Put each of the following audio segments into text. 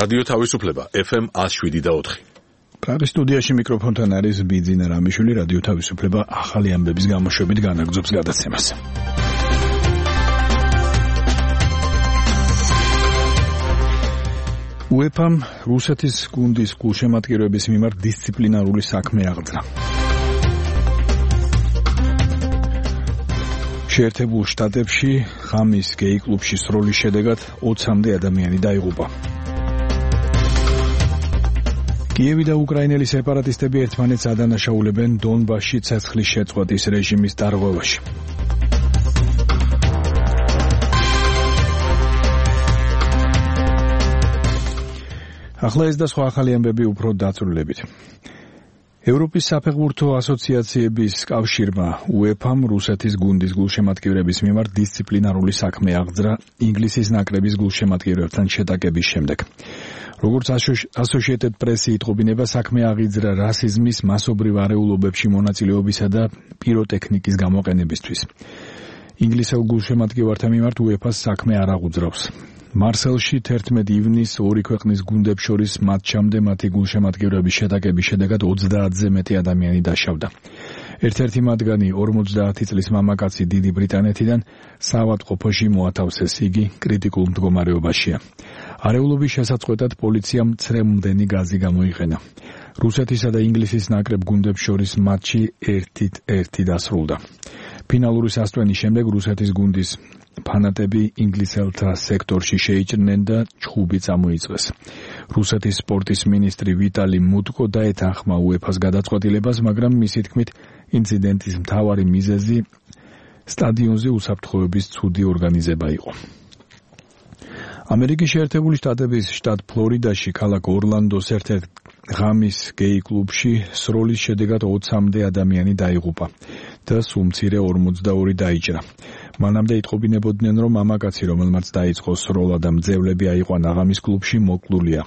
რადიო თავისუფლება FM 107.4. პრაღის სტუდიაში მიკროფონთან არის ბიძინა რამიშვილი. რადიო თავისუფლება ახალი ამბების გამოშვებით განაგრძობს გადაცემას. UEFA-მ რუსეთის გუნდის გულშემატკივრების მიმართ დისციპლინარული საქმე აღძრა. შეერთებულ შტატებში ღამის გეი კლუბში სროლის შედეგად 20-მდე ადამიანი დაიღუპა. კიევი და უკრაინელი სეპარატისტები ერთმანეთს ადანაშაულებენ დონბასში ცეცხლის შეწყვეტის რეჟიმის დარღვევაში. ახლა ეს და სხვა ახალი ამბები უფრო დაწვრილებით. ევროპის საფეხბურთო ასოციაციების კავშირმა UEFA-მ რუსეთის გუნდის გულშემატკივრების მიმართ დისციპლინარული საქმე აღძრა ინგლისის ნაკრების გულშემატკივრებთან შეტაკების შემდეგ. როგორც Associated Press იტყობინება, საქმე აღიძრა რასიზმის, მასობრივ არეულობებში მონაწილეობისა და პიროტექნიკის გამოყენებისთვის. ინგლისელ გულშემატკივართა მიმართ UEFA-ს საქმე არ აღუძრავს. მარსელში 11 ივნისს ორი ქვეყნის გუნდებს შორის მატჩამდე მათი გულშემატკივრების შეტაკების შედეგად 30-ზე მეტი ადამიანი დაშავდა. ერთ-ერთი მათგანი 50 წლის მამაკაცი დიდი ბრიტანეთიდან საავადმყოფოში მოათავსეს, იგი კრიტიკულ მდგომარეობაშია. არეულობის შესაწყვეტად პოლიციამ ცრემლდენი გაზი გამოიყენა. რუსეთისა და ინგლისის ნაკრებ გუნდებს შორის მატჩი 1-1 დასრულდა. ფინალური სასტვენის შემდეგ რუსეთის გუნდის ფანატები ინგლისელთა სექტორში შეიჭრნენ და ჩხუბი წამოიწვეს. რუსეთის სპორტის მინისტრი ვიტალი მუტკო დაეთანხმა UEFA-ს გადაწყვეტილებას, მაგრამ მისი თქმით ინციდენტის მთავარი მიზეზი სტადიონზე უსაფრთხოების ცუდი ორგანიზება იყო. ამერიკის შეერთებული შტატების შტატ ფლორიდაში ქალაქ ორლანდოს ერთ-ერთ ღამის გეი კლუბში სროლის შედეგად 20-მდე ადამიანი დაიღუპა და სულ მცირე 42 დაიჭრა. მანამდე იტყობინებოდნენ, რომ მამაკაცი, რომელმაც დაიწყო სროლა და მძევლები აიყვანა ღამის კლუბში, მოკლულია.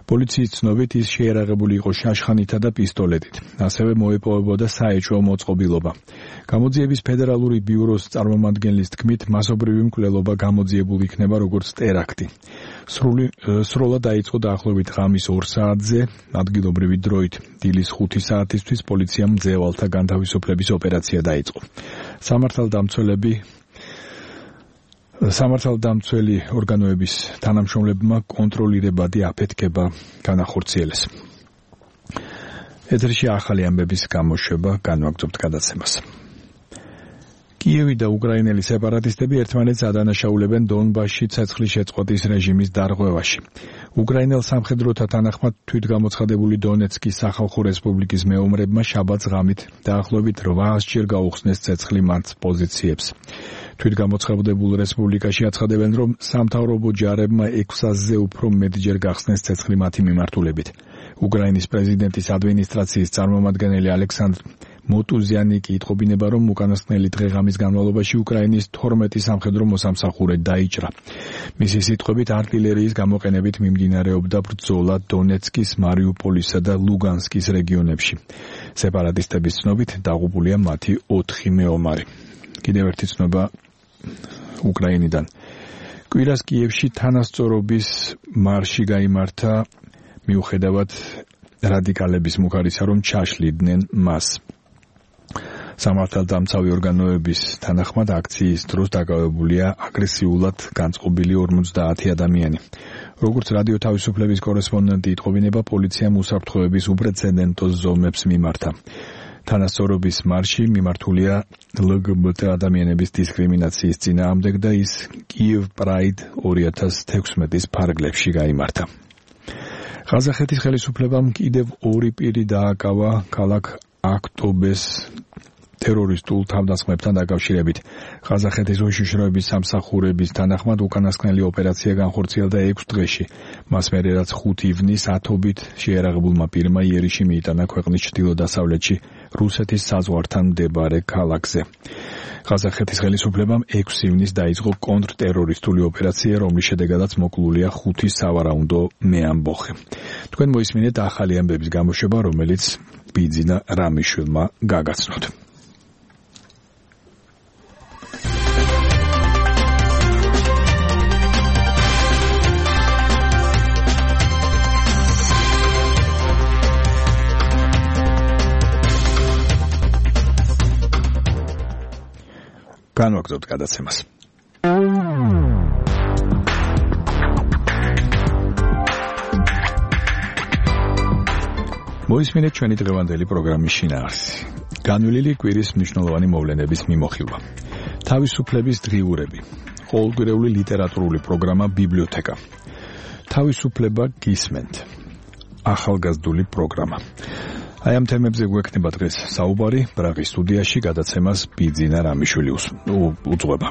პოლიციის ცნობით ის შეერაღებული იყო შაშხანითა და პისტოლეტით. ასევე მოეპოვებოდა საეჭვო მოწყობილობა. გამოძიების ფედერალური ბიუროს წარმომადგენლის თქმით, მასობრივი მკვლელობა გამოძიებულ იქნება როგორც ტერაქტი. სროლა დაიწყო დაახლოებით ღამის 2 საათზე, ადგილობრივი დროით დილის 5 საათისთვის პოლიციამ მძევალთა განთავისუფლების ოპერაცია დაიწყო. სამართალდამცველი ორგანოების თანამშრომლებმა კონტროლირებადი აფეთქება განახორციელეს. ეთერში ახალი ამბების გამოშვება განვაგრძობთ გადაცემას. კიევი და უკრაინელი სეპარატისტები ერთმანეთს ადანაშაულებენ დონბასში ცეცხლის შეწყვეტის რეჟიმის დარღვევაში. უკრაინელ სამხედროთა თანახმად თვითგამოცხადებული დონეცკის სახალხო რესპუბლიკის მეომრებმა შაბათს ღამით დაახლოებით 800-ჯერ გაუხსნეს ცეცხლი მათ პოზიციებს. თვითგამოცხადებულ რესპუბლიკაში აცხადებენ, რომ სამთავრობო ჯარებმა 600-ზე უფრო მეტჯერ გახსნეს ცეცხლი მათი მიმართულებით. უკრაინის პრეზიდენტის ადმინისტრაციის წარმომადგენელი ალექსანდრ მოტუზიანი კი იტყობინება, რომ უკანასკნელი დღე-ღამის განმავლობაში უკრაინის 12 სამხედრო მოსამსახურე დაიჭრა. მისი სიტყვებით, არტილერიის გამოყენებით მიმდინარეობდა ბრძოლა დონეცკის, მარიუპოლისა და ლუგანსკის რეგიონებში. სეპარატისტების ცნობით დაღუპულია მათი 4 მეომარი. კიდევ ერთი ცნობა უკრაინიდან. კვირას კიევში თანასწორობის მარში გაიმართა, მიუხედავად რადიკალების მუხარისა, რომ ჩაშლიდნენ მას. სამართალდამცავი ორგანოების თანახმად აქციის დროს დაკავებულია აგრესიულად განწყობილი 50 ადამიანი. როგორც რადიო თავისუფლების კორესპონდენტი იტყობინება, პოლიციამ უსაფრთხოების უპრეცედენტო ზომებს მიმართა. თანასწორობის მარში მიმართულია LGBT ადამიანების დისკრიმინაციის წინააღმდეგ და ის Kyiv Pride 2016-ის ფარგლებში გაიმართა. ყაზახეთის ხელისუფლებამ კიდევ 2 პირი დააკავა ქალაქ აქტობეს ტერორისტულ თავდასხმებთან დაკავშირებით. ყაზახეთის უშიშროების სამსახურების თანახმად უკანასკნელი ოპერაცია განხორციელდა 6 დღეში. მას მერე რაც 5 ივნისს ათობით შეერაღებულმა პირმა იერიში მიიტანა ქვეყნის ჩრდილო-დასავლეთში რუსეთის საზღვართან მდებარე ქალაქზე. ყაზახეთის ხელისუფლებამ 6 ივნისს დაიწყო კონტრტერორისტული ოპერაცია, რომლის შედეგადაც მოკლულია 5 სავარაუნდო მეამბოხე. თქვენ მოისმინეთ ახალი ამბების გამოშვება, რომელიც ბიძინა რამიშვილმა გაგაცნოთ. განვაგრძობთ გადაცემას. მოისმინეთ ჩვენი დღევანდელი პროგრამის შინაარსი. განვლილი კვირის მნიშვნელოვანი მოვლენების მიმოხილვა. თავისუფლების დღიურები. ყოველკვირეული ლიტერატურული პროგრამა ბიბლიოთეკა. თავისუფლება გისმენთ. ახალგაზრდული პროგრამა. აი ამ თემებზე გვექნება დღეს საუბარი ბრაღის სტუდიაში გადაცემას ბიძინა რამიშვილი უძღვება.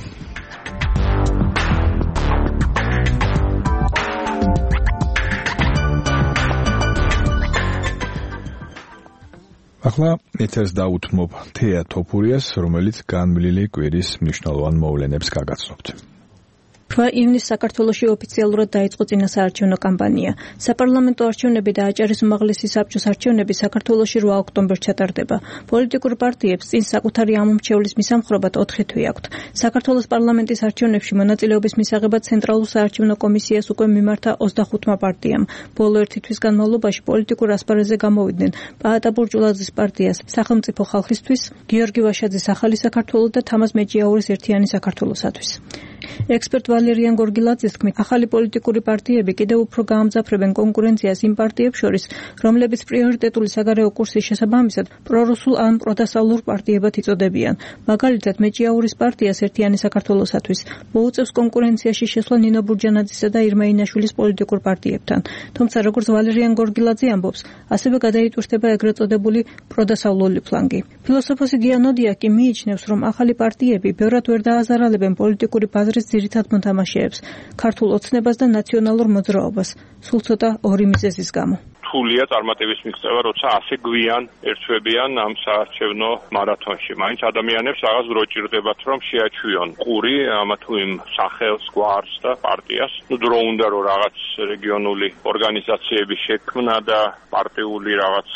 ახლა ეთერს დაუთმობ თეა თოფურიას, რომელიც განვლილი კვირის მნიშვნელოვან მოვლენებს გაგაცნობთ. ივნის საქართველოში ოფიციალურად დაიწყო წინასაარჩევნო კამპანია. საპარლამენტო არჩევნები და აჭარის უმაღლესი საბჭოს არჩევნები საქართველოში 8 ოქტომბერს ჩატარდება. პოლიტიკურ პარტიებს წინ საკუთარი ამომრჩევლის მისამხრობად 4 თვე აქვთ. საქართველოს პარლამენტის არჩევნებში მონაწილეობის მისაღებად ცენტრალურ საარჩევნო კომისიას უკვე მიმართა 25 პარტიამ. ბოლო 1 თვის განმავლობაში პოლიტიკურ ასპარეზზე გამოვიდნენ პაატა ბურჭულაძის პარტიას სახელმწიფო ხალხისთვის, გიორგი ვაშაძის ახალი საქართველო და თამაზ მეჭიაურის ერთიანი საქართველოსათვის. ექსპერტ ვალერიან გორგილაძის თქმით, ახალი პოლიტიკური პარტიები კიდევ უფრო გაამძაფრებენ კონკურენციას იმ პარტიებს შორის, რომლებიც პრიორიტეტული საგარეო კურსის შესაბამისად პრორუსულ ან პროდასავლურ პარტიებად იწოდებიან. მაგალითად, მეჭიაურის პარტიას ერთიანი საქართველოსათვის მოუწევს კონკურენციაში შესვლა ნინო ბურჯანაძისა და ირმა ინაშვილის პოლიტიკურ პარტიებთან. თუმცა, როგორც ვალერიან გორგილაძე ამბობს, ასევე გადაიტვირთება ეგრეთ წოდებული პროდასავლური ფლანგი. ფილოსოფოსი გიანოდია კი მიიჩნევს, რომ ახალი პარტიები ბევრად ვერ დააზარალებენ პოლიტიკური ბაზრის ძირითად მოთამაშეებს, ქართულ ოცნებას და ნაციონალურ მოძრაობას, სულ ცოტა ორი მიზეზის გამო. რთულია წარმატების მიღწევა, როცა ასე გვიან ერთვებიან ამ საარჩევნო მარათონში. მაინც ადამიანებს რაღაც დრო ჭირდებათ, რომ შეაჩვიონ ყური ამა თუ იმ სახელს, გვარს და პარტიას. დრო უნდა რომ რაღაც რეგიონული ორგანიზაციების შექმნა და პარტიული რაღაც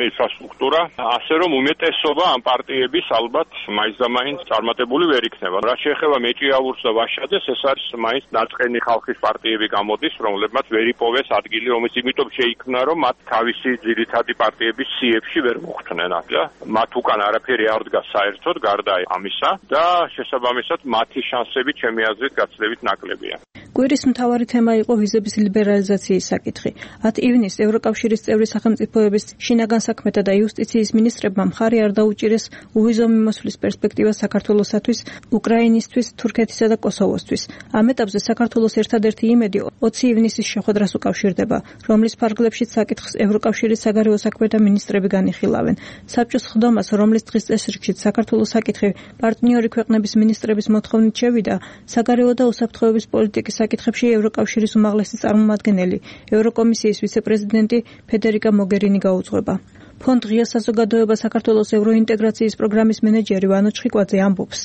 ინფრასტრუქტურა, ასე რომ უმეტესობა ამ პარტიების ალბათ მაინც და მაინც წარმატებული ვერ იქნება. რაც შეეხება მეჭიაურს და ვაშაძეს, ეს არის მაინც ნაწყენი ხალხის პარტიები გამოდის, რომლებმაც ვერ იპოვეს ადგილი, რომელიც იმიტომ შეიქმნა, რომ თავისი ძირითადი პარტიების სიებში ვერ მოხვდნენ და მათ უკან არაფერი არ დგას საერთოდ გარდა ამისა და შესაბამისად მათი შანსები ჩემი აზრით გაცილებით ნაკლებია. კვირის მთავარი თემა იყო ვიზების ლიბერალიზაციის საკითხი. 10 ივნისს ევროკავშირის წევრი სახელმწიფოების შინაგან საქმეთა და იუსტიციის მინისტრებმა მხარი არ დაუჭირეს უვიზო მიმოსვლის პერსპექტივას საქართველოსათვის, უკრაინისთვის, თურქეთისა და კოსოვოსთვის. ამ ეტაპზე საქართველოს ერთადერთი იმედი 20 ივნისის შეხვედრას უკავშირდება, რომლის ფარგლებშიც საკითხს ევროკავშირის საგარეო საქმეთა მინისტრები განიხილავენ. საბჭოს ხდომას, რომლის დღის წესრიგშიც საქართველოს საკითხი პარტნიორი ქვეყნების მინისტრების მოთხოვნით შევიდა, საგარეო და უსაფრთხოების პოლიტიკის საკითხებში ევროკავშირის უმაღლესი წარმომადგენელი, ევროკომისიის ვიცე-პრეზიდენტი ფედერიკა მოგერინი გაუძღვება. ფონდ ღია საზოგადოება საქართველოს ევროინტეგრაციის პროგრამის მენეჯერი ვანო ჩხიკვაძე ამბობს.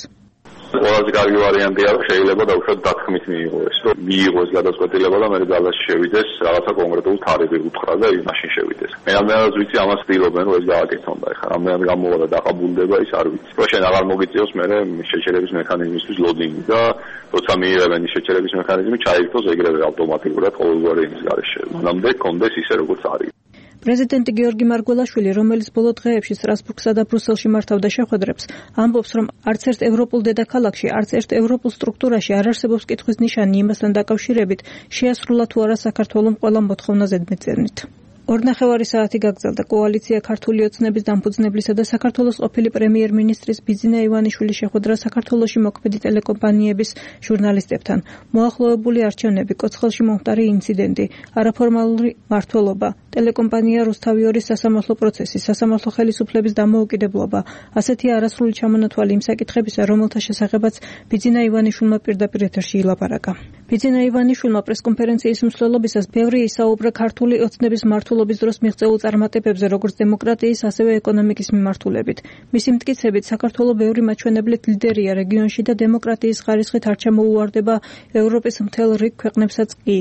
ყველაზე კარგი ვარიანტია, რომ შეიძლება დაუშვათ დათქმით მიიღოს, რომ მიიღოს გადაწყვეტილება და მე ძალაში შევიდეს რაღაცა კონკრეტულ თარიღი უთხრა და იმაში შევიდეს. მე ამას ვიცი, ამას ცდილობენ, რომ ეს გააკეთონ და ეხლა რამე გამოვა და დაყაბულდება ის არ ვიცი. რომ შენ აღარ მოგიწევს მე შეჩერების მექანიზმისთვის ლოდინგი და როცა მიიღებენ ის შეჩერების მექანიზმი, ჩაირთოს ეგრევე ავტომატურად ყოველგვარი იმის გარეშე. მანამდე კონდეს ისე როგორც არის. პრეზიდენტი გიორგი მარგველაშვილი, რომელიც ბოლო დღეებში სტრასბურგსა და ბრუსელში მართავდა შეხვედრებს, ამბობს, რომ არც ერთ ევროპულ დედაქალაქში, არც ერთ ევროპულ სტრუქტურაში არ არსებობს კითხვის ნიშანი იმასთან დაკავშირებით, შეასრულა თუ არა საქართველოს ყველა მოთხოვნა ზედმეტწევნით. 2.5 საათი გაგრძელდა კოალიცია ქართული ოცნების დამფუძნებლისა და საქართველოს ყოფილი პრემიერ-მინისტრის ბიძინა ივანიშვილის შეხვედრა საქართველოში მოქმედი ტელეკომპანიების ჟურნალისტებთან. მოახლოებული არჩევნები, კოცხელში მომხდარი ინციდენტი, არაფორმალური მმართველობა, ტელეკომპანია რუსთავი-2-ის სასამართლო პროცესი, სასამართლო ხელისუფლების დამოუკიდებლობა, ასეთი არასრული ჩამონათვალი იმ საკითხებისა, რომელთა შესახებაც ბიძინა ივანიშვილმა პირდაპირ ეთერში ილაპარაკა. ბიძინა ივანიშვილმა პრესკონფერენციის მსვლელობისას ბევრი ისაუბრა ქართული ოცნების მმართველობის დროს მიღწეულ წარმატებებზე, როგორც დემოკრატიის, ასევე ეკონომიკის მიმართულებით. მისი მტკიცებით, საქართველოს ბევრი მაჩვენებლით ლიდერია რეგიონში და დემოკრატიის ხარისხით არ ჩამოუვარდება ევროპის მთელ რიგ ქვეყნებსაც კი.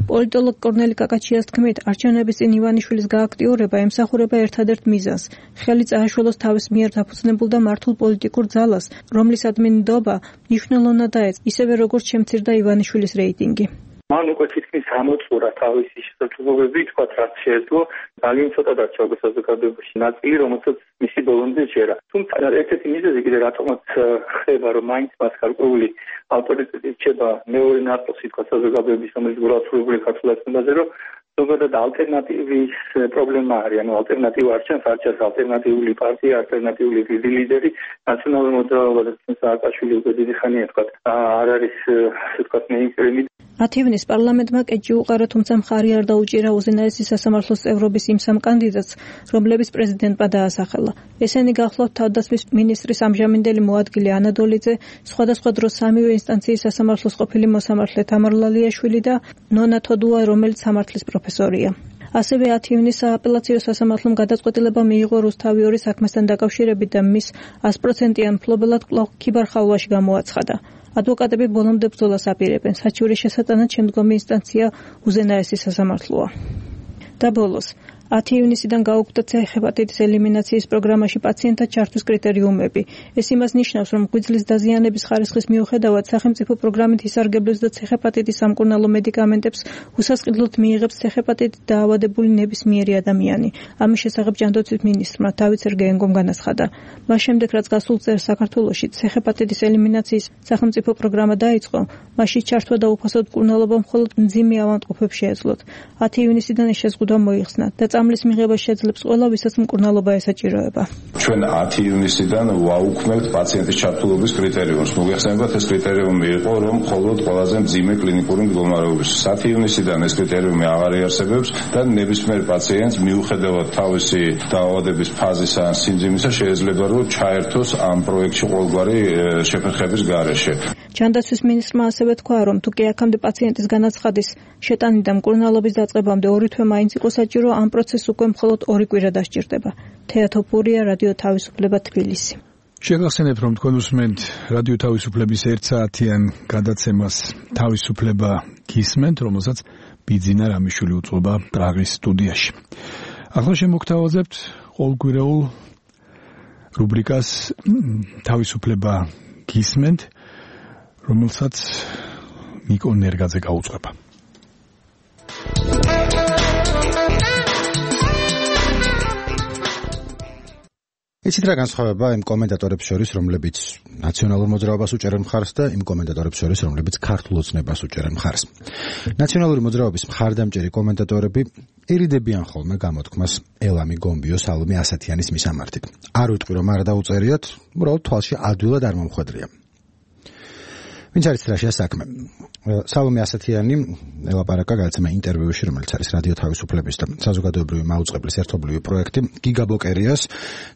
პოლიტოლოგ კორნელი კაკაჩიას თქმით, არჩევნების წინ ივანიშვილის გააქტიურება ემსახურება ერთადერთ მიზანს, ხელი წააშველოს თავის მიერ დაფუძნებულ და მართულ პოლიტიკურ ძალას, რომლის ადმინდობა მნიშვნელოვნად დაეცა, ისევე როგორც შემცირდა ივანიშვილის რეიტინგი. მან უკვე თითქმის გამოწურა თავისი შესაძლებლობები, თქვა რაც შეეძლო, ძალიან ცოტა დარჩა უკვე საზოგადოებაში ნაწილი, რომელსაც მისი ბოლომდე ჯერა. თუმცა ერთ-ერთი მიზეზი კიდე რატომაც ხდება, რომ მაინც მას გარკვეული ავტორიტეტი რჩება მეორე ნაწილში, თქვა საზოგადოების, რომელიც გულისხმობილი ქართულ ეთნიკაზე, რომ ზოგადად ალტერნატივის პრობლემა არის, ანუ ალტერნატივა არჩევს ალტერნატიული პარტია, ალტერნატიული დიდი ლიდერი, ნაციონალური მოძრაობა და სააკაშვილი უკვე დიდი ხანია თქვა, არ არის თქვა მეინსტრიმი. 10 ივნისს პარლამენტმა კეჭი უყარა, თუმცა მხარი არ დაუჭირა უზენაესი სასამართლოს წევრობის იმ 3 კანდიდატს, რომლებიც პრეზიდენტმა დაასახელა. ესენი გახლავთ თავდაცვის მინისტრის ამჟამინდელი მოადგილე ანადოლიძე, სხვადასხვა დროს 3-ვე ინსტანციის სასამართლოს ყოფილი მოსამართლე თამარ ლალიაშვილი და ნონა თოდუა, რომელიც სამართლის პროფესორია. ასევე 10 ივნისს სააპელაციო სასამართლომ გადაწყვეტილება მიიღო რუსთავი 2 საქმესთან დაკავშირებით და მის 100%-იან მფლობელად კვლავ ქიბარ-ხალვაში გამოაცხადა. ადვოკატები ბოლომდე ბრძოლას აპირებენ, საჩივრის შესატანად შემდგომი ინსტანცია უზენაესი სასამართლოა. და ბოლოს 10 ივნისიდან გაუქმდა ცეჰეპატიტის ელიმინაციის პროგრამაში პაციენტთა ჩართვის კრიტერიუმები. ეს იმას ნიშნავს, რომ ღვიძლის დაზიანების ხარისხის მიუხედავად სახელმწიფო პროგრამით ისარგებლებს და ცეჰეპატიტის სამკურნალო მედიკამენტებს უსასყიდლოდ მიიღებს ცეჰეპატიტით დაავადებული ნებისმიერი ადამიანი. ამის შესახებ ჯანდაცვის მინისტრმა დავით სერგეენკომ განაცხადა. მას შემდეგ, რაც გასულ წელს საქართველოში ცეჰეპატიტის ელიმინაციის სახელმწიფო პროგრამა დაიწყო, მასში ჩართვა და უფასოდ მკურნალობა მხოლოდ მძიმე ავადმყოფებს შეეძლოთ. 10 ივნისიდან ეს შეზღუდვა მოიხსნა და წამლის მიღება შეძლებს ყველა, ვისაც მკურნალობა ესაჭიროება. ჩვენ 10 ივნისიდან ვაუქმებთ პაციენტის ჩართულობის კრიტერიუმს. მოგეხსენებათ, ეს კრიტერიუმი იყო, რომ მხოლოდ ყველაზე მძიმე კლინიკური მდგომარეობის. 10 ივნისიდან ეს კრიტერიუმი აღარ იარსებებს და ნებისმიერ პაციენტს მიუხედავად თავისი დაავადების ფაზისა ან სიმძიმისა შეიძლება რომ ჩაერთოს ამ პროექტში ყოველგვარი შეფერხების გარეშე. ჯანდაცვის მინისტრმა ასევე თქვა, რომ თუ კი აქამდე პაციენტის განაცხადის შეტანით და მკურნალობის დაწყებამდე 2 თვე მაინც იყო საჭირო, ამ პროცესს უკვე მხოლოდ 2 კვირა დასჭირდება. თეატოფურია, რადიო თავისუფლება, თბილისი. შეგახსენებთ, რომ თქვენ უსმენთ რადიო თავისუფლების 1 საათიან გადაცემას თავისუფლება გისმენთ, რომელსაც ბიძინა რამიშვილი უწყობა პრაღის სტუდიაში. ახლა შემოგთავაზებთ ყოველკვირეულ რუბრიკას თავისუფლება გისმენთ, რომელსაც ნიკო ნერგაძე გაუწყება. იცით რა განსხვავება იმ კომენტატორებს შორის, რომლებიც ნაციონალურ მოძრაობას უჭერენ მხარს და იმ კომენტატორებს შორის, რომლებიც ქართულ ოცნებას უჭერენ მხარს. ნაციონალური მოძრაობის მხარდამჭერი კომენტატორები ერიდებიან ხოლმე გამოთქმას ელამი გომბიო სალომე ასათიანის მისამართით. არ ვიტყვი რომ არ დაუწერიათ, უბრალოდ თვალში ადვილად არ მომხვედრია. ვინც არის რაშია საქმე? სალომე ასათიანი ელაპარაკა გადაცემა ინტერვიუში, რომელიც არის რადიო თავისუფლების და საზოგადოებრივი მაუწყებლის ერთობლივი პროექტი გიგაბოკერიას.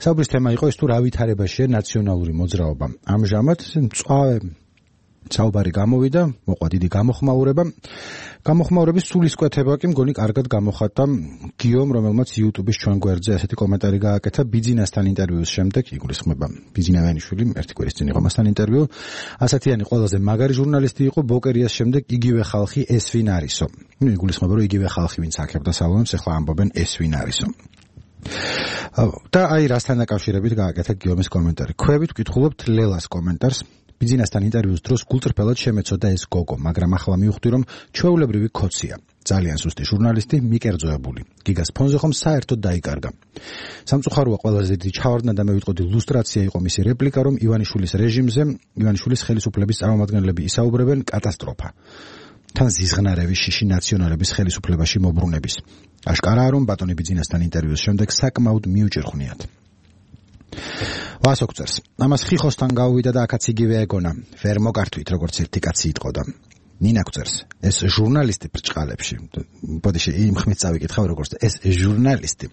საუბრის თემა იყო ის, თუ რა ვითარებაშია ნაციონალური მოძრაობა. ამჟამად მწვავე საუბარი გამოვიდა, მოყვა დიდი გამოხმაურების სულისკვეთება კი მგონი კარგად გამოხატა გიომ, რომელმაც YouTube-ის ჩვენ გვერდზე ასეთი კომენტარი გააკეთა ბიძინასთან ინტერვიუს შემდეგ. იგულისხმება ბიძინავენიშვილი, ერთი კვირის წინ იყო მასთან ინტერვიუ. ასათიანი ყველაზე მაგარი ჟურნალისტი იყო, ბოკერიას შემდეგ იგივე ხალხი ეს ვინ არისო. იგულისხმება რომ იგივე ხალხი ვინც აქებდა სალომეს, ახლა ამბობენ ეს ვინ არისო. და აი რასთან დაკავშირებით გააკეთა გიომის კომენტარი. ქვევით ვკითხულობთ ლელას კომენტარს. ბიძინასთან ინტერვიუს დროს გულწრფელად შემეცოდა ეს გოგო, მაგრამ ახლა მივხვდი რომ ჩვეულებრივი ქოცია. ძალიან სუსტი ჟურნალისტი, მიკერძოებული. გიგას ფონზე ხომ საერთოდ დაიკარგა. სამწუხაროა ყველაზე დიდი ჩავარდნა და მე ვიტყოდი ლუსტრაცია იყო მისი რეპლიკა, რომ ივანიშვილის რეჟიმზე, ივანიშვილის ხელისუფლების წარმომადგენლები ისაუბრებენ კატასტროფა. თან ზიზღნარევი შიში ნაციონალების ხელისუფლებაში მობრუნების. აშკარაა რომ ბატონი ბიძინასთან ინტერვიუს შემდეგ საკმაოდ მიუჭირხვნიათ. ვასოქწერს. ამას ხიხოსთან გავუვიდა და აქაც იგივე ეგონა. ვერ მოკართვით, როგორც ერთი კაცი იტყოდა. ნინა გვწერს. ეს ჟურნალისტი ბრჭყალებში. ბოდიში იმ ხმით წავიკითხავ როგორც ეს ჟურნალისტი.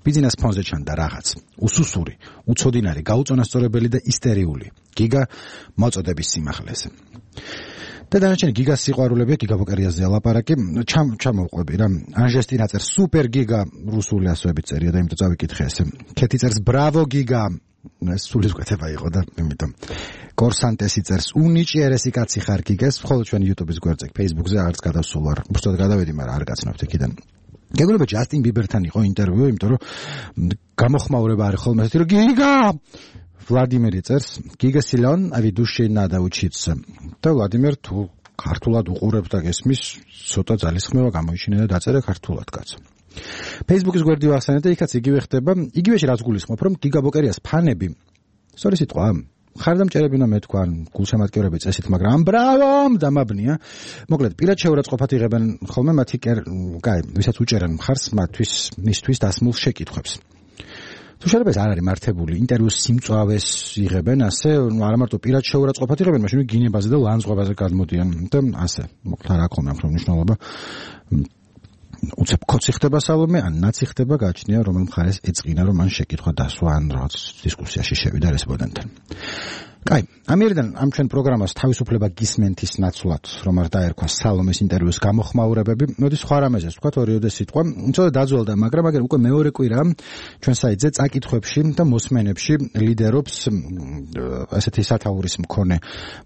ბიძინას ფონზე ჩანდა რაღაც. უსუსური, უცოდინარი, გაუწონასწორებელი და ისტერიული. გიგა მოწოდების სიმაღლეზე. და დანარჩენი გიგას სიყვარულები, გიგაბოკერიაზე ლაპარაკი, ჩამოვყვები რა. ანჟესტინა წერს სუპერ გიგა, რუსული ასოებით წერია და იმიტომ წავიკითხე ესე. ქეთი წერს ბრავო გიგა. ეს სულისკვეთება იყო და იმიტომ. კორსანტესი წერს უნიჭიერესი კაცი ხარ გიგას, ხოლო ჩვენ YouTube-ის გვერდზე, Facebook-ზე არც გადავსულ ვარ. უბრალოდ გადავედი, მაგრამ არ გაცნობთ იქიდან. გეგმება ჯასტინ ბიბერთან იყო ინტერვიუ, იმიტომ რომ გამოხმაურება არის ხოლმე ესეთი რომ გიგა ვლადიმერი წერს, გიგა სილონ, а ведущий надо учиться. და ვლადიმერ თუ ქართულად უყურებ და გესმის, ცოტა ძალისხმევა გამოიჩინე და დაწერე ქართულად კაცო. Facebook-ის გვერდი ვახსენეთ და იქაც იგივე ხდება, იგივეში რაც გულისხმობ, რომ გიგაბოკერიას ფანები, სწორი სიტყვა, ხარდამჭერები უნდა მეთქვა, გულშემატკივრები წესით, მაგრამ ბრავო, დამაბნია. მოკლედ, პირად შეურაცხყოფად იღებენ ხოლმე მათი ვისაც უჭერენ მხარს მისთვის დასმულ შეკითხვებს. თუ შეიძლება ეს არ არის მართებული, ინტერვიუს სიმწვავეს იღებენ, ასე, არა მარტო პირად შეურაცხყოფად იღებენ, მაშინ გინებაზე და ლანძღვებაზე გადმოდიან და ასე. მოკლედ, რა ქონა ამ მნიშვნელობა. უცებ კოცი ხდება სალომე, ან ნაცი ხდება გააჩნია, რომელ მხარეს ეწყინა, რომ მან შეკითხვა დასვა, ან რაღაც დისკუსიაში შევიდა რესპონდენტთან. კაი, ამერიდან ამ ჩვენ პროგრამას თავისუფლება გისმენთის ნაცვლად, რომ არ დაერქვა სალომეს ინტერვიუს გამოხმაურებები, მოდი სხვა რამეზეს ვთქვათ, ორიოდე სიტყვა, უცებ დაძველდა, მაგრამ უკვე მეორე კვირა ჩვენ საიტზე წაკითხვებში და მოსმენებში ლიდერობს ასეთი სათაურის მქონე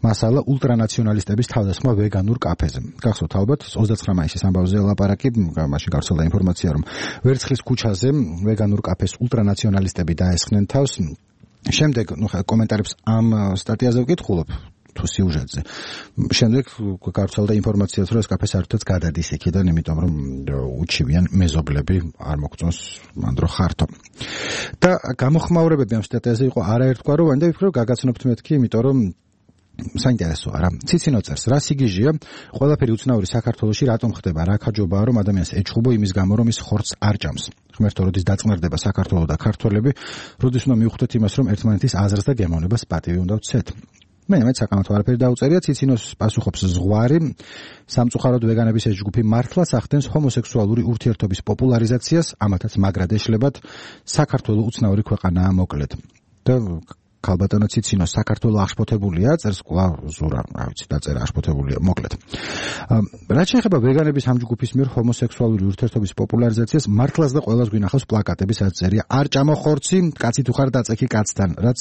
მასალა ულტრანაციონალისტების თავდასხმა ვეგანურ კაფეზე. გახსოვთ ალბათ 29 მაისის ამბავზე ლაპარაკი, მაშინ გავრცელდა ინფორმაცია, რომ ვერცხლის ქუჩაზე ვეგანურ კაფეს ულტრანაციონალისტები დაესხნენ თავს. შემდეგ კომენტარებს ამ სტატიაზე ვკითხულობ თუ სიუჟეტზე. შემდეგ გავრცელდა ინფორმაციაც, რომ ეს კაფე საერთოდ გადადის იქიდან, იმიტომ რომ უჩივიან მეზობლები არ მოგწონს მანდრო ხართო. და გამოხმაურებები ამ სტატიაზე იყო არაერთგვაროვანი და ვფიქრობ გაგაცნობთ მეთქი, იმიტომ რომ საინტერესოა რა. ციცინო წერს, რა სიგიჟია, ყველაფერი უცნაური საქართველოში რატომ ხდება, რა ქაჯობაა, რომ ადამიანს ეჩხუბო იმის გამო, რომ ის ხორცს არ ჭამს. ღმერთო, როდის დაწყნარდება საქართველო და ქართველები, როდის უნდა მივხვდეთ იმას, რომ ერთმანეთის აზრს და გემოვნებას პატივი უნდა ვცეთ. მე საკამათო არაფერი დაუწერია, ციცინოს პასუხობს ზღვარი, სამწუხაროდ ვეგანების ეს ჯგუფი მართლაც ახდენს ჰომოსექსუალური ურთიერთობის პოპულარიზაციას, ამათაც მაგრად ეშლებათ, საქართველო უცნაური ქვეყანაა მოკლედ. და ქალბატონო ციცინო საქართველო აღშფოთებულია, წერს კვლავ ზურა, რა ვიცი, დაწერა აღშფოთებულია, მოკლედ. რაც შეეხება ვეგანების ამ ჯგუფის მიერ ჰომოსექსუალური ურთიერთობის პოპულარიზაციას, მართლაც და ყველას გვინახავს პლაკატები, სადაც წერია არ ჭამო ხორცი, კაცი თუ ხარ დაწექი კაცთან, რაც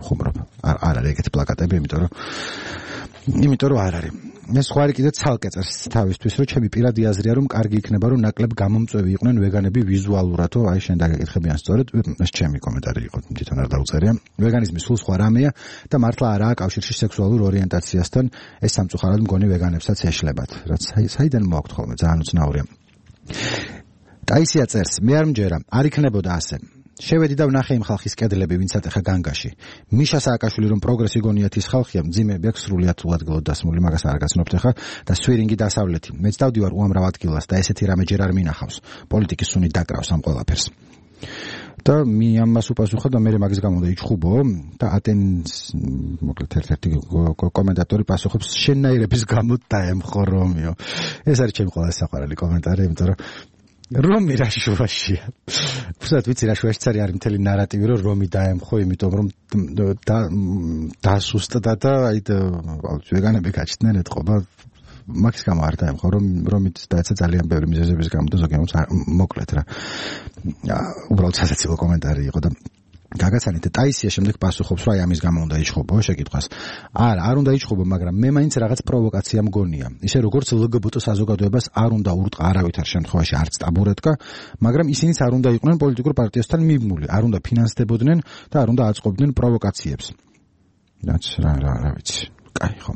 ხუმრობ. არ არის ეგეთი პლაკატები, იმიტომ რომ არ არის. ეს ხوارი კიდე ცალკე წერს თავისთვის, რომ ჩემი პირადი აზრია, რომ კარგი იქნება, რომ ნაკლებ გამომწვევი იყვნენ ვეგანები ვიზუალურადო, აი შენ დაგეკითხებიან სწორედ, ეს ჩემი კომენტარი იყო, თვითონ არ დაუწერია. ვეგანიზმი სულ სხვა რამეა და მართლა არაა კავშირში სექსუალურ ორიენტაციასთან, ეს სამწუხაროდ მგონი ვეგანებსაც ეშლებათ, რაც საიდან მოაქვთ ხოლმე, ძალიან უცნაურია. ტაისია წერს, მე არ მჯერა, არ იქნებოდა ასე. შევედი და ვნახე იმ ხალხის კედლები, ვინცაც ახლა განგაში. მიშა სააკაშვილი რომ პროგრესი გონიათ ის ხალხია, მძიმეები აქვს სრულიად უადგილოდ დასმული, მაგას არ გაცნობთ ახლა და სვირინგი დასავლეთი. მეც დავდივარ უამრავ ადგილას და ესეთი რამე ჯერ არ მინახავს. პოლიტიკის სუნი დაკრავს ამ ყველაფერს. და ამას უპასუხა და მე მაგის გამო და იჩხუბო და ატენს მოკლედ ერთ-ერთი კომენტატორი პასუხობს შენნაირების გამო დაემხო რომიო. ეს არის ჩემი ყველა საყვარელი კომენტარი, იმიტომ რომ რომი რა შუაშია. უბრალოდ ვიცი რა შუაშიც არის მთელი ნარატივი, რომ რომი დაემხო, იმიტომ რომ დასუსტდა და აი ვეგანები გაჩნდნენ ეთყობა. მაგის გამო არ დაემხო, რომით დაეცა ძალიან ბევრი მიზეზების გამო და ზოგიერთს მოკლედ რა. უბრალოდ სასაცილო კომენტარი იყო და გაგაცანით ტაისია შემდეგ პასუხობს, რომ აი ამის გამო უნდა იჩხუბო შეკითხვას. არ უნდა იჩხუბო, მაგრამ მე მაინც რაღაც პროვოკაცია მგონია. ისე როგორც ლგბტ საზოგადოებას არ უნდა ურტყა არავითარ შემთხვევაში არც ტაბურეტკა, მაგრამ ისინიც არ უნდა იყვნენ პოლიტიკურ პარტიასთან მიბმული, არ უნდა ფინანსდებოდნენ და არ უნდა აწყობდნენ პროვოკაციებს. რაც რა ვიცი. კაი ხო.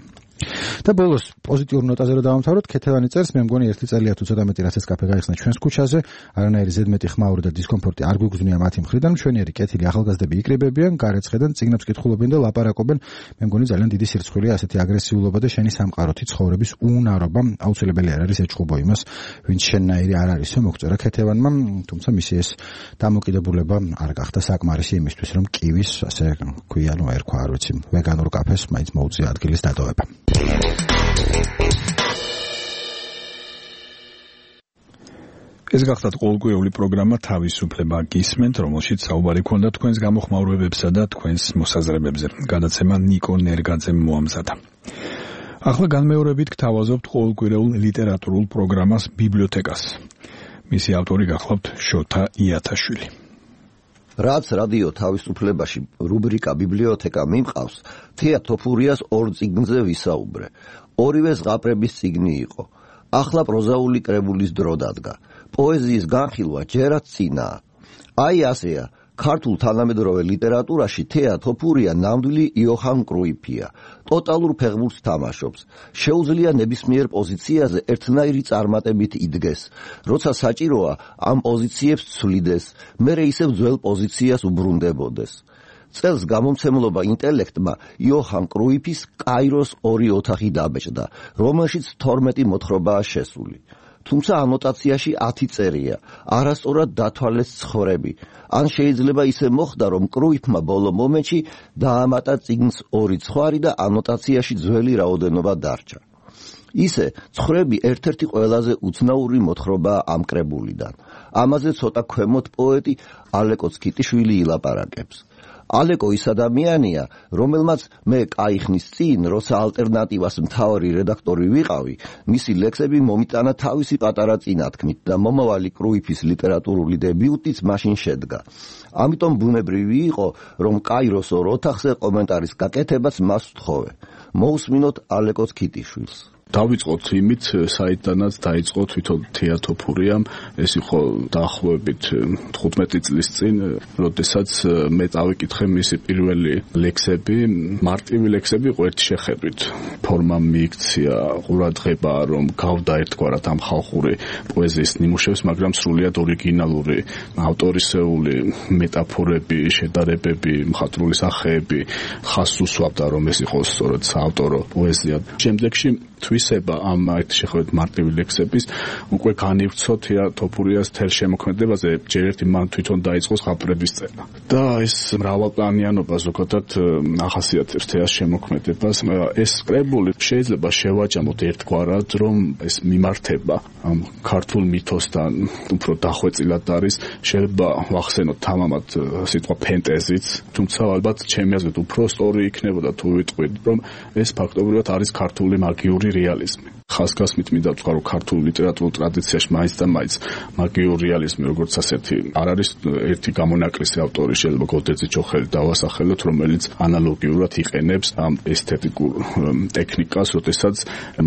და ბოლოს პოზიტიურ ნოტაზე რომ დავამთავროთ, ქეთევანი წერს, მე მგონი ერთი წელია თუ ცოტა მეტი რაც ეს კაფე გაიხსნა ჩვენს ქუჩაზე, არანაირი ზედმეტი ხმაური და დისკომფორტი არ გვიგზნია მათი მხრიდან, მშვენიერი კეთილი ახალგაზრდები იკრიბებიან, გარეცხედან წიგნებს კითხულობენ და ლაპარაკობენ. მე მგონი ძალიან დიდი სირცხვილია ასეთი აგრესიულობა და შენი სამყაროთი ცხოვრების უნარობა, აუცილებელი არ არის ეჩხუბო იმას, ვინც შენნაირი არ არისო, მოგწერა ქეთევანმა, თუმცა მისი ეს დამოკიდებულება არ გახდა საკმარისი იმისთვის, რომ კივის, ასე ქვია, ერქვა, არ ვიცი, ვეგანურ კაფეს მაინც მოუწია ადგილის დატოვება. ეს გახდათ ყოველკვირეული პროგრამა თავისუფლება გისმენთ, რომელშიც საუბარი ქონდა თქვენს გამოხმაურებებსა და თქვენს მოსაზრებებზე. გადაცემა ნიკო ნერგაძემ მოამზადა. ახლა განმეორებით გთავაზობთ ყოველკვირეულ ლიტერატურულ პროგრამას ბიბლიოთეკას. მისი ავტორი გახლავთ შოთა იათაშვილი. რაც რადიო თავისუფლებაში რუბრიკა ბიბლიოთეკა მიმყავს, თეა თოფურიას ორ წიგნზე ვისაუბრე. ორივე ზღაპრების წიგნი იყო. ახლა პროზაული კრებულის დრო დადგა. პოეზიის განხილვა ჯერაც წინაა. აი ასეა, ქართულ თანამედროვე ლიტერატურაში თეა თოფურია ნამდვილი იოჰან კრუიფია. ტოტალურ ფეხბურთს თამაშობს. შეუძლია ნებისმიერ პოზიციაზე ერთნაირი წარმატებით იდგეს. როცა საჭიროა, ამ პოზიციებს ცვლიდეს, მერე ისევ ძველ პოზიციას უბრუნდებოდეს. წელს გამომცემლობა ინტელექტმა იოჰან კრუიფის კაიროს 2 ოთახი დაბეჭდა, რომელშიც 12 მოთხრობაა შესული. თუმცა ანოტაციაში 10 წერია, არასწორად დათვალეს ცხოვრები. ან შეიძლება ისე მოხდა, რომ კრუიფმა ბოლო მომენტში დაამატა წიგნს 2 ცხვარი და ანოტაციაში ძველი რაოდენობა დარჩა. ისე ცხოვრები ერთ-ერთი ყველაზე უცნაური მოთხრობაა ამ კრებულიდან. ამაზე ცოტა ქვემოთ პოეტი ალეკო ცკიტიშვილი ილაპარაკებს. ალეკო ის ადამიანია, რომელმაც მე კაიხნის წინ, როცა ალტერნატივას მთავარი რედაქტორი ვიყავი, მისი ლექსები მომიტანა თავისი პატარა წინათქმით და მომავალი კრუიფის ლიტერატურული დებიუტიც მაშინ შედგა. ამიტომ ბუნებრივი იყო, რომ კაიროს 2 ოთახზე კომენტარის გაკეთებას მას ვთხოვე. მოусმინოთ ალეკო ცკიტიშვილს. დავიწყოთ იმით, საიდანაც დაიწყო თვითონ თეა თოფურიამ, ეს იყო დაახლოებით 15 წლის წინ, როდესაც მე წავიკითხე მისი პირველი ლექსები, მარტივი ლექსები იყო ერთი შეხედვით. ფორმა მიიქცია, ყურადღება, რომ გავდა ერთგვარად ამ ხალხური პოეზიის ნიმუშებს, მაგრამ სრულიად ორიგინალური, ავტორისეული მეტაფორები, შედარებები, მხატვრული სახეები ხაზს უსვამდა, რომ ეს იყოს სწორედ საავტორო პოეზია. შემდეგში თვისება ამ ერთ შეხედვით მარტივი ლექსების უკვე განივცო თეა თოფურიას თელ შემოქმედებაზე, ჯერ ერთი მან თვითონ დაიწყო ზღაპრების წერა. და ეს მრავალპლანიანობა ზოგადად ახასიათებს თეას შემოქმედებას. ეს კრებული შეიძლება შევაჯამოთ ერთგვარად, რომ ეს მიმართება ამ ქართულ მითოსთან უფრო დახვეწილად არის. შეიძლება ვახსენოთ თამამად სიტყვა ფენტეზიც, თუმცა ალბათ ჩემი აზრით უფრო სწორი იქნებოდა თუ ვიტყვით, რომ ეს ფაქტობრივად არის ქართული მაგიური რეალიზმი. ხაზგასმით მინდა ვთქვა, რომ ქართულ ლიტერატურულ ტრადიციაში მაინც და მაინც მაგიური რეალიზმი როგორც ასეთი არ არის ერთი გამონაკლისი ავტორი, შეიძლება გოდერძი ჯოხელი დავასახელოთ, რომელიც ანალოგიურად იყენებს ამ ესთეტიკურ ტექნიკას, როდესაც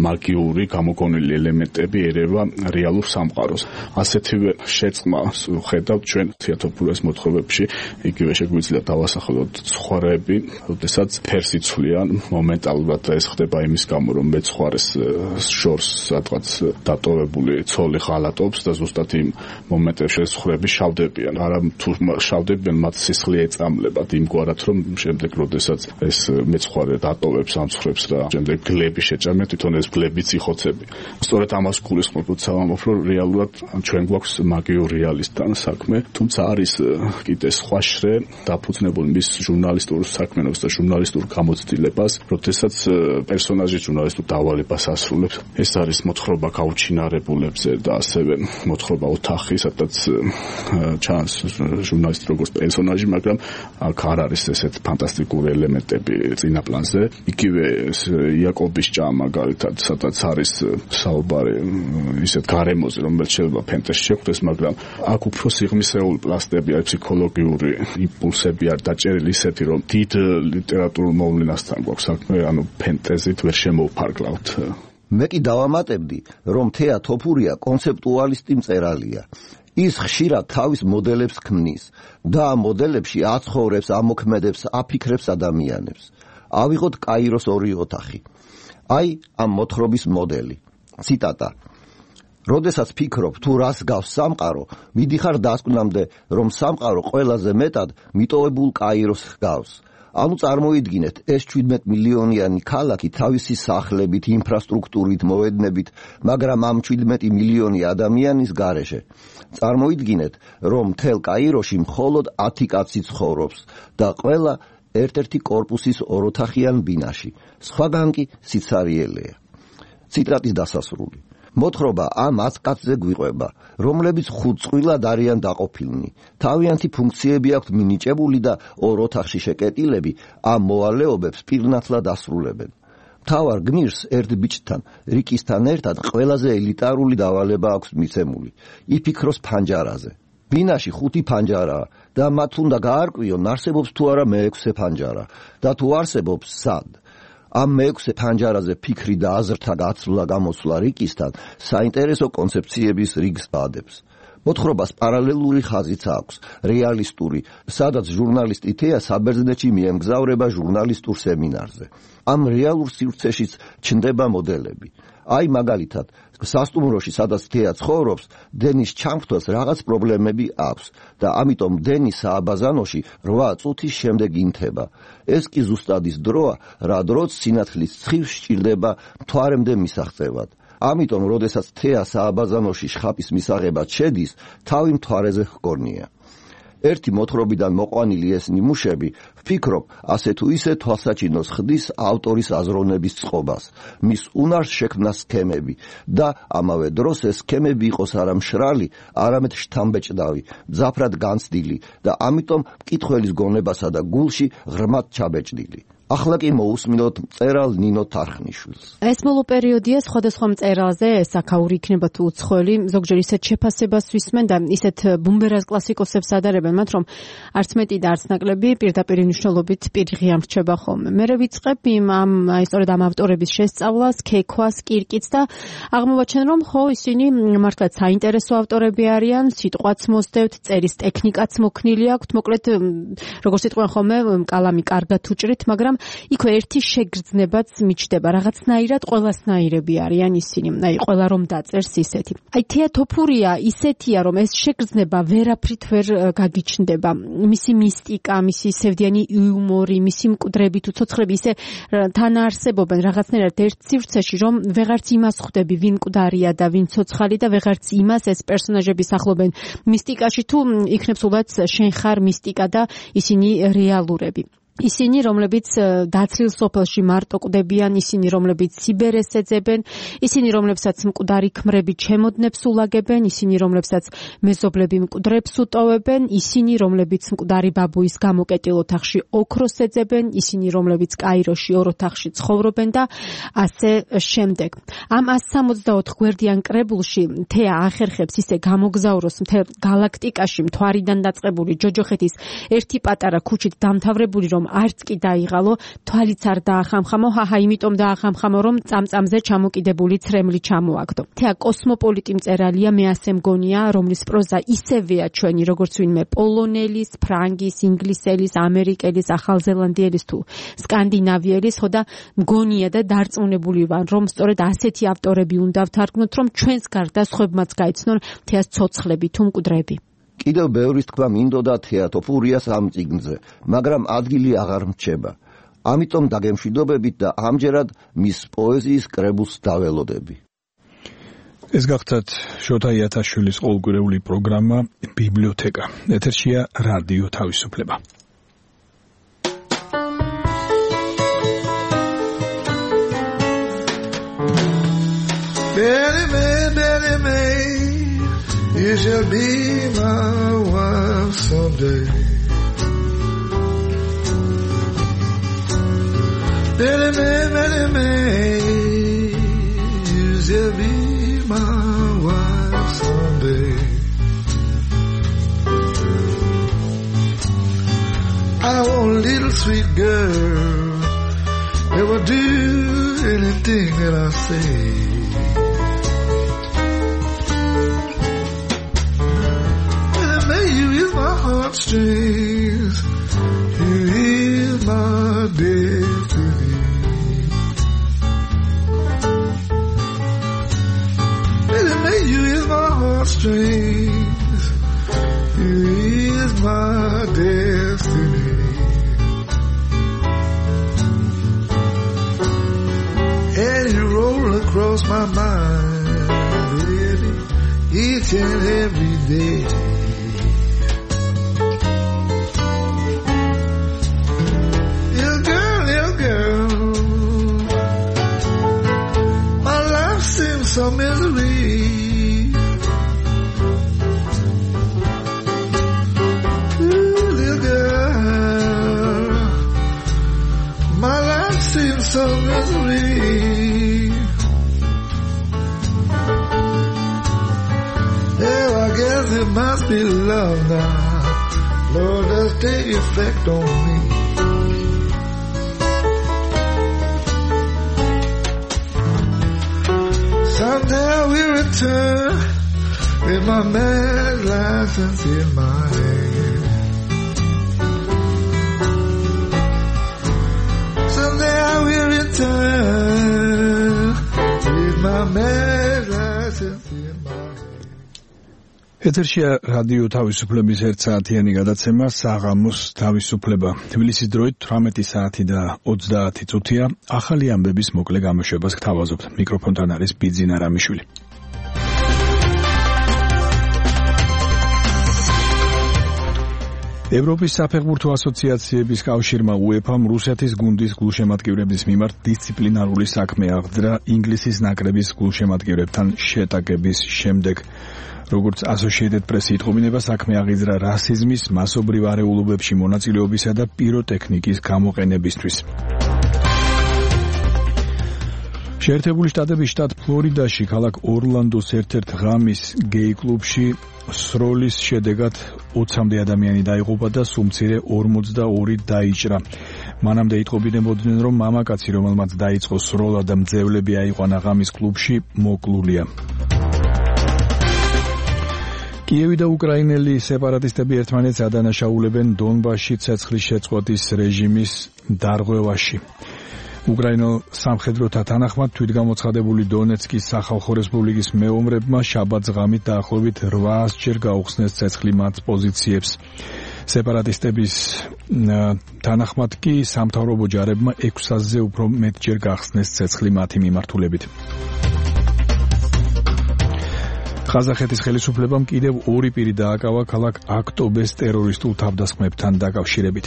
მაგიური გამოგონილი ელემენტები ერევა რეალურ სამყაროს. ასეთივე შეწყმას ხედავთ ჩვენ თეა თოფურიას მოთხრობებში, იგივე შეგვიძლია დავასახელოთ ცხვარები, როდესაც ფერს იცვლიან მომენტალურად ეს ხდება იმის გამო, რომ მეცხვარეს შორს სადღაც დატოვებული ცოლი ღალატობს და ზუსტად იმ მომენტებში ცხრები შავდებიან. არა თუ შავდებიან, მათ სისხლი ეწამლებათ იმგვარად, რომ შემდეგ როდესაც ეს მეცხვარე დატოვებს ამ ცხრებს და შემდეგ გლები შეჭამენ, თვითონ ეს გლებიც იხოცები. სწორედ ამას გულისხმობ, სავამობ, რომ რეალურად ჩვენ გვაქვს მაგიურ რეალისტთან საქმე, თუმცა არის კიდე სხვა შრე დაფუძნებული მის ჟურნალისტურ საქმიანობას და ჟურნალისტურ გამოცდილებას, როდესაც პერსონაჟი ჟურნალისტურ დავალებას ასრულებს. ეს არის მოთხრობა გაუჩინარებულებზე და ასევე მოთხრობა ოთახი, სადაც ჩანს ჟურნალისტი როგორც პერსონაჟი, მაგრამ აქ არ არის ესეთ ფანტასტიკური ელემენტები წინა პლანზე. იგივე იაკობის ჭა მაგალითად, სადაც არის საუბარი ისეთ გარემოზე, რომელიც შეიძლება ფენტეზში შეხვდეს, მაგრამ აქ უფრო სიღრმისეული პლასტები არის, ფსიქოლოგიური იმპულსები არ დაჭერილი ისეთი, რომ დიდ ლიტერატურულ მოვლენასთან გვაქვს საქმე, ანუ ფენტეზით ვერ შემოვფარგლავთ. მე კი დავამატებდი, რომ თეა თოფურია კონცეპტუალისტი მწერალია. ის ხშირად თავის მოდელებს ქმნის და ამ მოდელებში აცხოვრებს, ამოქმედებს, აფიქრებს ადამიანებს. ავიღოთ კაიროს 2 ოთახი. აი ამ მოთხრობის მოდელი. ციტატა. როდესაც ფიქრობ, თუ რას გავს სამყარო, მიდიხარ დასკვნამდე, რომ სამყარო ყველაზე მეტად მიტოვებულ კაიროს გავს. ანუ წარმოიდგინეთ, ეს 17 მილიონიანი ქალაქი თავისი სახლებით, ინფრასტრუქტურით, მოედნებით, მაგრამ ამ 17 მილიონი ადამიანის გარეშე. წარმოიდგინეთ, რომ მთელ კაიროში მხოლოდ 10 კაცი ცხოვრობს და ყველა ერთ-ერთი კორპუსის 2 ოთახიან ბინაში. სხვაგან კი სიცარიელეა. ციტატის დასასრული. მოთხრობა ამ 10 კაცზე გვიყვება, რომლებიც 5 წყვილად არიან დაყოფილნი. თავიანთი ფუნქციები აქვთ მინიჭებული და 2 ოთახში შეკეტილები ამ მოვალეობებს პირნათლად ასრულებენ. მთავარ გმირს ერთ ბიჭთან, რიკისთან ერთად ყველაზე ელიტარული დავალება აქვს მიცემული. იფიქროს ფანჯარაზე. ბინაში 5 ფანჯარაა და მათ უნდა გაარკვიონ, არსებობს თუ არა მე-6 ფანჯარა და თუ არსებობს, სად. ამ მე-6 ფანჯარაზე ფიქრი და აზრთა გაცვლა-გამოცვლა რიკისთან საინტერესო კონცეფციების რიგს ბადებს. მოთხრობას პარალელური ხაზიც აქვს, რეალისტური, სადაც ჟურნალისტი თეა საბერძნეთში მიემგზავრება ჟურნალისტურ სემინარზე. ამ რეალურ სივრცეშიც ჩნდება მოდელები. აი მაგალითად, სასტუმროში, სადაც თეა ცხოვრობს, დენის ჩამხთვას რაღაც პრობლემები აქვს და ამიტომ დენი სააბაზანოში 8 წუთის შემდეგ ინთება. ეს კი ზუსტად ის დროა, რა დროც სინათლის ცხივს სჭირდება მთვარემდე მისაღწევად. ამიტომ, როდესაც თეა სააბაზანოში შხაპის მისაღებად შედის, თავი მთვარეზე ჰგონია. ერთი მოთხრობიდან მოყვანილი ეს ნიმუშები, ვფიქრობ, ასე თუ ისე თვალსაჩინოს ხდის ავტორის აზროვნების წყობას, მის უნარს შექმნა სქემები და ამავე დროს ეს სქემები იყოს არა მშრალი, არამედ შთამბეჭდავი, მძაფრად განცდილი და ამიტომ მკითხველის გონებასა და გულში ღრმად ჩაბეჭდილი. ახლა კი მოусმინოთ მწერალ ნინო თარხნიშვილს. ეს ბოლო პერიოდია სხვადასხვა მწერალზე, საკაური იქნება თუ უცხოელი, ზოგჯერ ისეთ შეფასებას ვისმენ და ისეთ ბუმბერას კლასიკოსებს ადარებენ მათ, რომ არც მეტი და არც ნაკლები პირდაპირ მნიშვნელობით პირიღი ამრჩება ხოლმე. მერე ვიწყებ სწორედ ამ ავტორების შესწავლას, ქექვას, კირკიც და აღმოვაჩენ, რომ ხო ისინი მართლაც საინტერესო ავტორები არიან, სიტყვაც მოსდევთ, წერის ტექნიკაც მოქნილი აქვთ, მოკლედ როგორც იტყვიან ხოლმე, კალამი კარგად უჭრით, მაგრამ იქვე ერთი შეგრძნებაც მიჩნდება, რაღაცნაირად ყველასნაირები არიან ისინი. აი, ყველა რომ დაწერს ისეთი. აი, თეა თოფურია ისეთია, რომ ეს შეგრძნება ვერაფრით ვერ გაგიჩნდება. მისი მისტიკა, მისი სევდიანი იუმორი, მისი მკვდრები თუ ცოცხლები ისე თანაარსებობენ რაღაცნაირად ერთ სივრცეში, რომ ვეღარც იმას ხვდები, ვინ მკვდარია და ვინ ცოცხალი და ვეღარც იმას ეს პერსონაჟები სახლობენ მისტიკაში თუ იქნებ სულაც შენ ხარ მისტიკა და ისინი რეალურები. ისინი, რომლებიც დაცლილ სოფელში მარტო კვდებიან, ისინი, რომლებიც სიბერეს ეძებენ, ისინი, რომლებსაც მკვდარი ქმრები ჩემოდნებს ულაგებენ, ისინი, რომლებსაც მეზობლები მკვდრებს უტოვებენ, ისინი, რომლებიც მკვდარი ბაბუის გამოკეტილ ოთახში ოქროს ეძებენ, ისინი, რომლებიც კაიროში ორ ოთახში ცხოვრობენ და ასე შემდეგ. ამ 164 გვერდიან კრებულში თეა ახერხებს ისე გამოგზავროს მთელ გალაქტიკაში მთვარიდან დაწყებული ჯოჯოხეთის ერთი პატარა ქუჩით დამთავრებული, რომ არც კი დაიღალო, თვალიც არ დაახამხამო, იმიტომ დაახამხამო, რომ წამწამზე ჩამოკიდებული ცრემლი ჩამოაგდო. თეა კოსმოპოლიტი მწერალია, მე ასე მგონია, რომლის პროზა ისევეა ჩვენი, როგორც ვინმე პოლონელის, ფრანგის, ინგლისელის, ამერიკელის, ახალზელანდიელის თუ სკანდინავიელის, ხო და მგონია და დარწმუნებული ვარ, რომ სწორედ ასეთი ავტორები უნდა ვთარგმნოთ, რომ ჩვენს გარდა სხვებმაც გაიცნონ თეას ცოცხლები თუ მკვდრები. კიდევ ბევრის თქმა მინდოდა თეა თოფურიას ამ წიგნზე, მაგრამ ადგილი აღარ მრჩება. ამიტომ დაგემშვიდობებით და ამჯერად მის პოეზიის კრებულს დაველოდები. ეს გახდათ შოთა იათაშვილის ყოველკვირეული პროგრამა ბიბლიოთეკა. ეთერშია რადიო თავისუფლება. You shall be my wife someday. Many May, you shall be my wife someday. I want a little sweet girl that will do anything that I say. Heartstrings, you is my destiny. Baby, you is my heartstrings, you is my destiny. And you roll across my mind, baby, each and every day. Some misery. Ooh, little girl, my life seems so misery. Oh, I guess it must be love now. Lord, let's take effect on me. Someday we return with my man marriage license in my hand. Someday I will return with my marriage license in my hand. ეთერშია რადიო თავისუფლების 1 საათიანი გადაცემა საღამოს თავისუფლება. თბილისის დროით 18 საათი და 30 წუთია. ახალი ამბების მოკლე გამოშვებას გთავაზობთ. მიკროფონთან არის ბიძინა რამიშვილი. ევროპის საფეხბურთო ასოციაციების კავშირმა UEFA-მ რუსეთის გუნდის გულშემატკივრების მიმართ დისციპლინარული საქმე აღძრა ინგლისის ნაკრების გულშემატკივრებთან შეტაკების შემდეგ. როგორც Associated Press იტყობინება, საქმე აღიძრა რასიზმის, მასობრივ არეულობებში მონაწილეობისა და პიროტექნიკის გამოყენებისთვის. შეერთებული შტატების შტატ ფლორიდაში ქალაქ ორლანდოს ერთ-ერთ ღამის გეი კლუბში სროლის შედეგად 20-მდე ადამიანი დაიღუპა და სუმცირე 42 დაიჭრა. მანამდე იტყობინებოდნენ, რომ მამაკაცი, რომელმაც დაიწყო სროლა და მძევლები აიყვანა ღამის კლუბში, მოკლულია. კიევი და უკრაინელი სეპარატისტები ერთმანეთს ადანაშაულებენ დონბასში ცეცხლის შეწყვეტის რეჟიმის დარღვევაში. უკრაინელ სამხედროთა თანახმად თვითგამოცხადებული დონეცკის სახალხო რესპუბლიკის მეომრებმა შაბათს ღამით დაახლოებით 800 ჯერ გაუხსნეს ცეცხლი მათ პოზიციებს. სეპარატისტების თანახმად კი სამთავრობო ჯარებმა 600-ზე უფრო მეტჯერ გახსნეს ცეცხლი მათი მიმართულებით. ყაზახეთის ხელისუფლებამ კიდევ 2 პირი დააკავა ქალაქ აქტობეს ტერორისტულ თავდასხმებთან დაკავშირებით.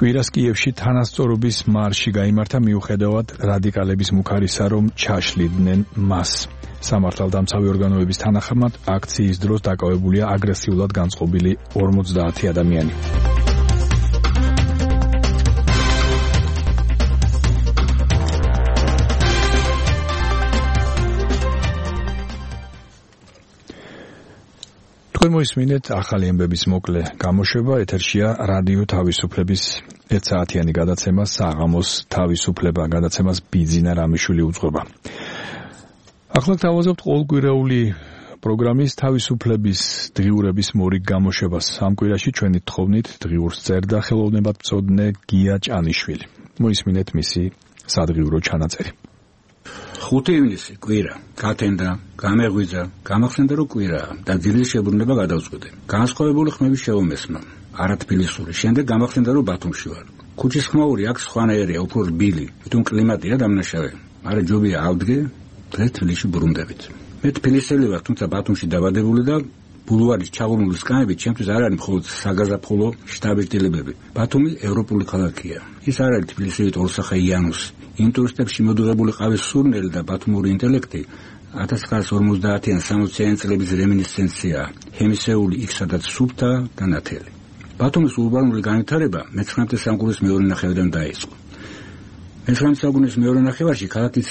კვირას კიევში თანასწორობის მარში გაიმართა მიუხედავად რადიკალების მუქარისა, რომ ჩაშლიდნენ მას. სამართალდამცავი ორგანოების თანახმად აქციის დროს დაკავებულია აგრესიულად განწყობილი 50 ადამიანი. თქვენ მოისმინეთ ახალი ამბების მოკლე გამოშვება. ეთერშია რადიო თავისუფლების 1 საათიანი გადაცემა საღამოს თავისუფლება. გადაცემას ბიძინა რამიშვილი უძღვება. ახლა გთავაზობთ ყოველკვირეული პროგრამის თავისუფლების დღიურების მორიგ გამოშვებას. ამ კვირაში ჩვენი თხოვნით დღიურს წერდა ხელოვნებად მწოდნე გია ჭანიშვილი. მოისმინეთ მისი სადღიურო ჩანაწერი. 5 ივნისი კვირა, გათენდა, გამეღვიძა, გამახსენდა რომ კვირაა და ძილის შებრუნება გადავწყვიტე. განსხვავებული ხმების შევომესმა, არათბილისური. შემდეგ გამახსენდა რომ ბათუმში ვარ. ქუჩის ხმაური აქ სხვანაირია, უფრო რბილი, თუმცა კლიმატია დამნაშავე. არა ჯობია ავდგე, დღეს თბილისში ბრუნდებით. მე თბილისელი ვარ, თუმცა ბათუმში დაბადებული და ბულვარის ჩაღურმული სკამები ჩემთვის არ არის მხოლოდ საგაზაფხულო შტაბ-ჭდილებები. ბათუმი ევროპული ქალაქია. ის არ არის თბილისელი ორსახე იანუსი. იმ ტურისტებში მოდუღებული ყავის სურნელი და ბათუმური ინტელექტი 1950-ან 60-იან წლების რემინისცენცია, ჰემისეული იქ სადაც სუფთა და ნათელი. ბათუმის ურბანული განვითარება მე-19 საუკუნის მეორე ნახევარიდან დაიწყო. მე-19 საუკუნის მეორე ნახევარში ქალაქის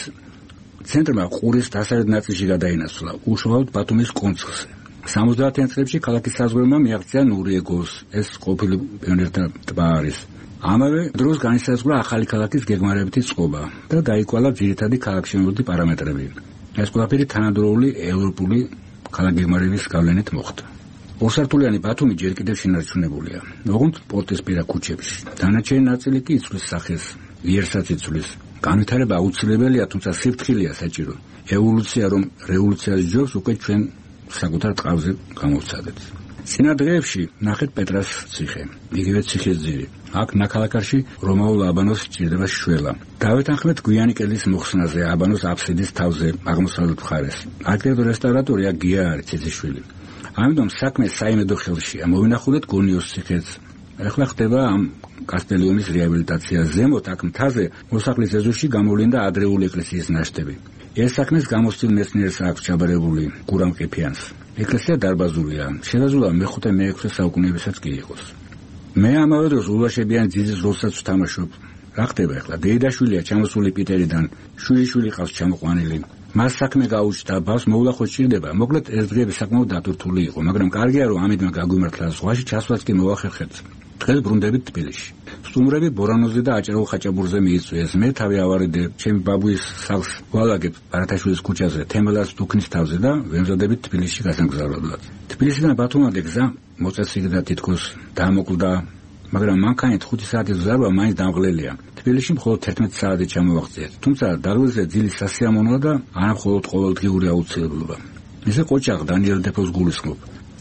ცენტრმა ყურის დასავლეთ ნაწილში გადაინაცვლა, უშუალოდ ბათუმის კონცხზე. 70-იან წლებში ქალაქის საზღვრებმა მიაღწია ნურიეგოს, ეს ყოფილი პიონერთა ტბა არის. ამავე დროს განისაზღვრა ახალი ქალაქის გეგმარებითი წყობა და გაიკვალა ძირითადი ქალაქშემოვლითი პარამეტრები. ეს ყველაფერი თანადროული ევროპული ქალაქგეგმარების გავლენით მოხდა. ორსართულიანი ბათუმი ჯერ კიდევ შენარჩუნებულია, ოღონდ პორტისპირა ქუჩებში. დანარჩენი ნაწილი კი იცვლის სახეს, ვიერსაც იცვლის. განვითარება აუცილებელია, თუმცა სიფრთხილეა საჭირო. ევოლუცია რომ რევოლუციას ჯობს, უკვე ჩვენ საკუთარ ტყავზე გამოვცადეთ. წინა დღეებში ნახეთ პეტრას ციხე, იგივე ციხის ძირი. აქ ნაქალაქარში რომაულ აბანოს სჭირდება შველა. დავეთანხმეთ გვიანი კედლის მოხსნაზე, აბანოს აფსიდის თავზე, აღმოსავლეთ მხარეს. არქიტექტორ რესტავრატორია გია არცეციშვილი. ამიტომ საქმე საიმედო ხელშია. მოვინახულეთ გონიოს ციხეც. ახლა ხდება ამ კასტელიუმის რეაბილიტაცია. ზემოთ აქ მთაზე მოსახლის ეზოში გამოვლინდა ადრეული ეკლესიის ნაშთები. ეს საქმეს გამოსცილ მეცნიერს აქვს ჩაბარებული გურამ ყიფიანს. ეკლესია დარბაზულია, შეზღუდვა მე-5-მე-6 საუკუნეებისაც კი იყოს. მე ამავე დროს ულაშებიან ძიძის როლსაც ვთამაშობ. რა ხდება ახლა? დეიდაშვილია ჩამოსული პიტერიდან, შვილი ყავს ჩამოყვანილი. მას საქმე გაუჩნდა, ბავს მოულახო სჭირდება. მოკლედ ეს დღეები საკმაოდ დატვირთული იყო, მაგრამ კარგია რომ ამით გაგვიმართლა, ზღვაში ჩასვლაც კი მოახერხეთ. დღეს ბრუნდებით თბილისში. სტუმრები ბორანოზე და აჭარულ ხაჭაპურზე მიიწვიეს. მე თავი ავარიდე ჩემი ბაბუის სახლს ვალაგებ ბარათაშვილის ქუჩაზე, თემელას დუქნის თავზე და ვემზადებით თბილისში გასამგზავრებლად. თბილისიდან ბათუმამდე გზა მოწესრიგდა თითქოს დაამოკლდა, მაგრამ მანქანით 5 საათის გზარვა მაინც დამღლელია. თბილისში მხოლოდ 11 საათი ჩამოვაღწიეთ. თუმცა დაღლილზე ძილის სასიამოვნოა და არა მხოლოდ ყოველდღიური აუცილებლობა. ისე ყოჩაღ დანიელ დეფოს გულისხმობ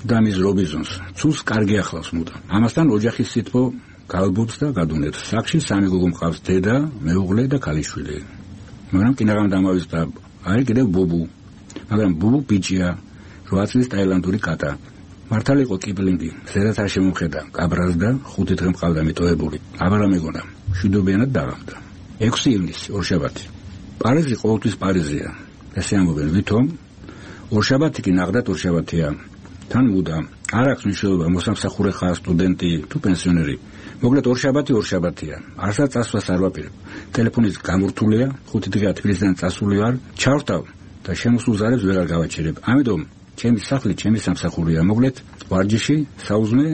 და მის რობიზონს. ცულს კარგი ახლავს მუდამ. ამასთან ოჯახის სიტყვა გალბობს და გადუნებს. საქმეში 3 გოგო მყავს, დედა, მეუღლე და ქალიშვილი. მაგრამ კინაღამ დამავიწყდა, არის კიდევ ბუბუ. მაგრამ ბუბუ ბიჭია, 8 წლის ტაილანდური კატა. მართალი იყო კიპლინგი, ზედაც არ შემომხედა, კაბრას და 5 დღე მყავდა მიტოვებული. აბარა მეგონა, მშვიდობიანად დაღამდა. 6 ივნისი, ორშაბათი. პარიზი ყოველთვის პარიზია. ესე ამბობენ, ვითომ? ორშაბათი კი ნახდათ ორშაბათია. თან მუდამ არ აქვს მნიშვნელობა მოსამსახურე ხარ, სტუდენტი თუ პენსიონერი. მოკლედ ორშაბათია. არსაც წასვლას არ ვაპირებ. ტელეფონის გამურთულია, 5 დღეა თბილისიდან წასული ვარ, ჩავხტავ და შემოსულ ზარებს ვეღარ გავაჩერებ. ამიტომ ჩემი სახლი, ჩემი სამსახურია. მოკლედ ვარჯიში, საუზმე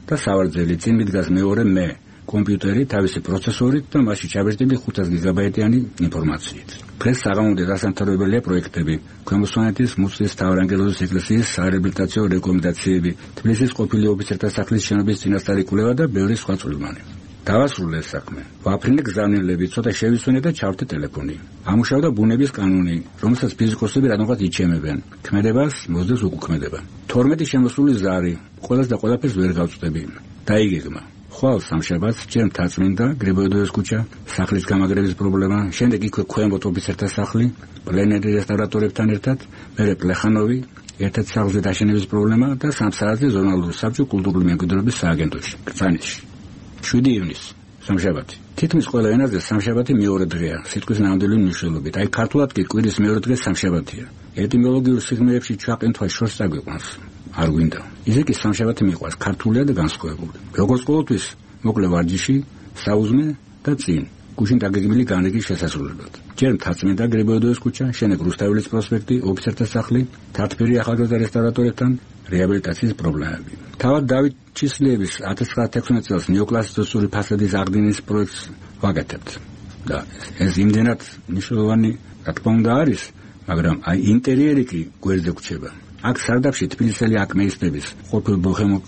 და სავარძელი. წინ მიდგას მეორე მე, კომპიუტერი, თავისი პროცესორით და მასში ჩაბეჭდილი 500 გიგაბაიტიანი ინფორმაციით. დღეს საღამომდე დასამთავრებელია პროექტები, ქვემო-სვანეთის მუცლის მთავარანგელოზის ეკლესიის საერეაბილიტაციო რეკომენდაციები, თბილისის ყოფილი ოფიცერთა სახლის შენობის წინასწარი კვლევა და ბევრი სხვა წვრილმანი. დავასრულე ეს საქმე. ვაფრინე გზავნილები, ცოტა შევისვენე და ჩავთე ტელეფონი. ამუშავდა ბუნების კანონი, რომელსაც ფიზიკოსები რადგანაც იჩემებენ. ქმედებას მოსდევს უკუქმედება. 12 შემოსული ზარი, ყველას და ყველაფერს ვერ გავწვდები. დაიგეგმა. ხვალ სამშაბათს ჯერ მთაწმინდა, გრიბოედოვის ქუჩა, სახლის გამაგრების პრობლემა, შემდეგ იქვე ქვემოთ ოფიცერთა სახლი, პლენერი რესტავრატორებთან ერთად, მერე პლეხანოვი, ერთ-ერთ სახლზე დაშენების პრობლემა და 3 საათზე ზონალური საბჭო კულტურული მემკვიდრეობის სააგენტოში, კრწანისში. 7 ივნისი, სამშაბათი. თითქმის ყველა ენაზე სამშაბათი მეორე დღეა, სიტყვის ნამდვილი მნიშვნელობით. აი ქართულად კი კვირის მეორე დღე სამშაბათია. ეტიმოლოგიურ სიღრმეებში ჩაყენთვა შორს წაგვიყვანს. არ გვინდა. ისე კი სამშაბათი მიყვარს, ქართულია და განსხვავებული. როგორც ყოველთვის, მოკლე ვარჯიში, საუზმე და წინ. გუშინ დაგეგმილი განრიგის შესასრულებლად. ჯერ მთაწმინდა გრიბოედოვის ქუჩა, შემდეგ რუსთაველის პროსპექტი, ოფიცერთა სახლი, თათბირი ახალგაზრდა რესტავრატორებთან, რეაბილიტაციის პრობლემები. თავად დავით ჩისლიევის 1916 წელს ნეოკლასიცისტური ფასადის აღდგენის პროექტს ვაკეთებთ. და ეს იმდენად მნიშვნელოვანი, რა თქმა უნდა, არის, მაგრამ აი ინტერიერი კი გვერდზე გვჩება. აქ სარდაფში თბილისელი აკმეისტების, ყოფილ ბოჰემო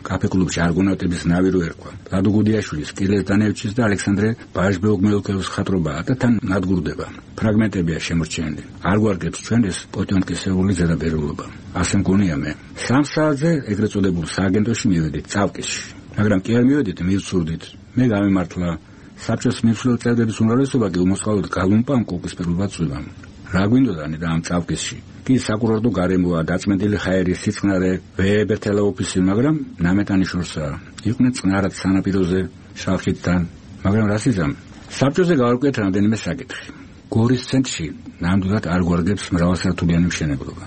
კაფე-კლუბში არგონავტების ნავი რო ერქვა. ლადო გუდიაშვილის, კილეს დანევჩის და ალექსანდრე ბაჟბეოგ-მელკოვის ხატრობაა და თან ნადგურდება. ფრაგმენტებია შემორჩენილი. არ გვარგებს ჩვენ ეს პოტიომკისეული ზედაპირულობა. ასე მგონია მე. 3 საათზე ეგრეთ წოდებულ სააგენტოში მივედით წავკისში. მაგრამ კი არ მივედით, მივცურდით. მე გამემართლა საბჭოს მიმსვლელ წევრების უმრავლესობა კი უმოწყალოდ გალუმპამ კუპისპირულად წვიმამ. რა გვინდოდანი და ამ წავკისში? კი საკურორტო გარემოა, დაწმენდილი ჰაერი, სიწყნარე, ვეებერთელა ოფისი, მაგრამ ნამეტანი შორსაა. იყვნენ წყნარად სანაპიროზე, შალხითთან, მაგრამ რას იზამ? საბჭოზე გავარკვიეთ რამდენიმე საკითხი. გორის ცენტრში ნამდვილად არ გვარგებს მრავალსართულიანი მშენებლობა.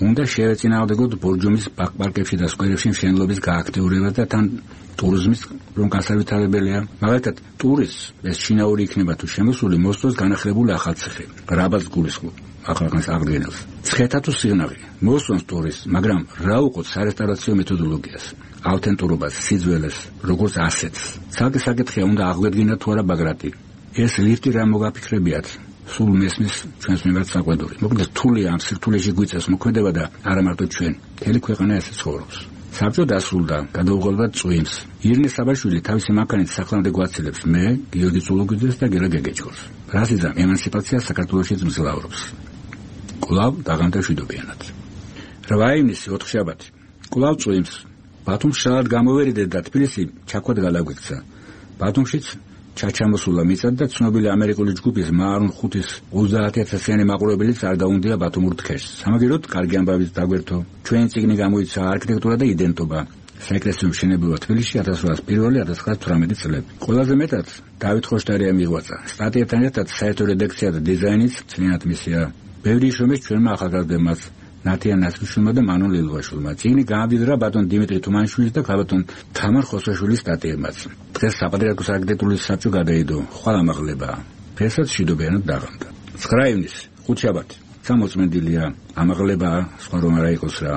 უნდა შევეწინააღმდეგოთ ბორჯომის პარკებში და სკვერებში მშენებლობის გააქტიურება და თან ტურიზმის რომ გასავითარებელია. მაგალითად, ტურისტს ეს შინაური იქნება თუ შემოსული მოსწოს განახლებული ახალციხე, რაბაც გულისხმობ. ახალგაზრდას აღდგენელს. ცხეთა თუ სიღნაღი, მოსწონს ტურისტს, მაგრამ რა უყოთ სარესტავრაციო მეთოდოლოგიას, ავთენტურობას, სიძველეს, როგორც ასეთს. ცალკე საკითხია, უნდა აღვედგინოთ თუ არა ბაგრატი. ეს ლიფტი რა მოგაფიქრებიათ? სულ მესმის ჩვენს მიმართ საყვედური. მოკლედ რთულია ამ სირთულეში გვიწევს მოქმედება და არა მარტო ჩვენ, მთელი ქვეყანა ესე ცხოვრობს. საბჭო დასრულდა, გადაუღალდა წვიმს. ირინე საბაშვილი თავისი მანქანით სახლამდე გვაცილებს მე, გიორგი წულუგიძეს და გელა გეგეჭკორს. რას იზამ ემანსიპაცია საქართველოშიც მძლავრობს. კვლავ დაღამდა მშვიდობიანად. 8 ივნისი, ოთხშაბათი. კვლავ წვიმს. ბათუმს შალად გამოვერიდეთ და თბილისი ჩაქვად გადაგვიქცა. ბათუმშიც ჩაჩამოსულა მიწად და ცნობილი ამერიკული ჯგუფის მაარონ 5-ის 30,000-იანი მაყურებელიც არ დაუნდია ბათუმურ თქეშს. სამაგიეროდ კარგი ამბავით დაგვერთო. ჩვენი წიგნი გამოიცა არქიტექტურა და იდენტობა. საეკლესიო მშენებლობა თბილისში 1801-1918 წლები. ყველაზე მეტად დავით ხოშტარია მიღვაწა. სტატიებთან ერთად საერთო რედაქცია და დიზაინიც წინათ მისია. ბევრი შრომის ჩვენმა ახალგაზრდებმაც ნათია ნასრიშვილმა და მანონ ლილვაშვილმა. წიგნი გაამდიდრა ბატონ დიმიტრი თუმანიშვილის და ქალბატონ თამარ ხოსაშვილის სტატიებმაც. დღეს საპატრიარქოს არქიტექტურის საბჭო გადაიდო. ხვალ ამაღლებაა. ფესაც მშვიდობიანად დაღამდა. 9 ივნისი, ხუთშაბათი. სამოწმენდილია, ამაღლებაა, სხვა რომ არა იყოს რა.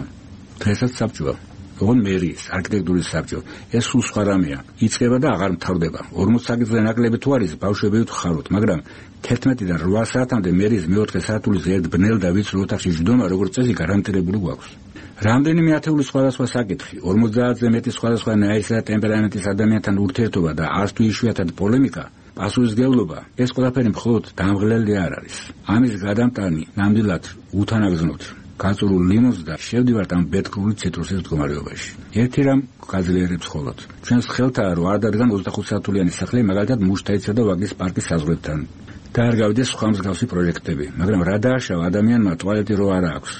დღესაც საბჭოა. ოღონდ მერის არქიტექტურის საბჭო ეს სულ სხვა რამეა. იწყება და აღარ მთავრდება. 40 საათზე ნაკლები თუ არის ბავშვები ვთხაროთ, მაგრამ 11-დან 8 საათამდე მერის მეოთხე სართულის ერთ ბნელ და ვიწრო ოთახში ჯდომა როგორც წესი გარანტირებული გვაქვს. რამდენიმე ათეული სხვადასხვა საკითხი, 50-ზე მეტი სხვადასხვა ნაირისა და ტემპერამენტის ადამიანთან ურთიერთობა და 100 თუ იშვიათად პოლემიკა, პასუხისმგებლობა, ეს ყველაფერი მხოლოდ დამღლელი არ არის. ამის გადამტანი ნამდვილად უთანაგზნოთ გაწურულ ლიმონს და შევდივართ ამ ბედკრული ციტრუსის მდგომარეობაში. ერთი რამ გაძლიერებს მხოლოდ. ჩვენს ხელთაა რომ არ დადგან 25 საათულიანი სახლი მაგალითად მუშთაიცსა და ვაგის პარკის საზღვრებთან. და არ გავიდეს სხვა მსგავსი პროექტები, მაგრამ რა დააშავა ადამიანმა ტუალეტი რო არა აქვს.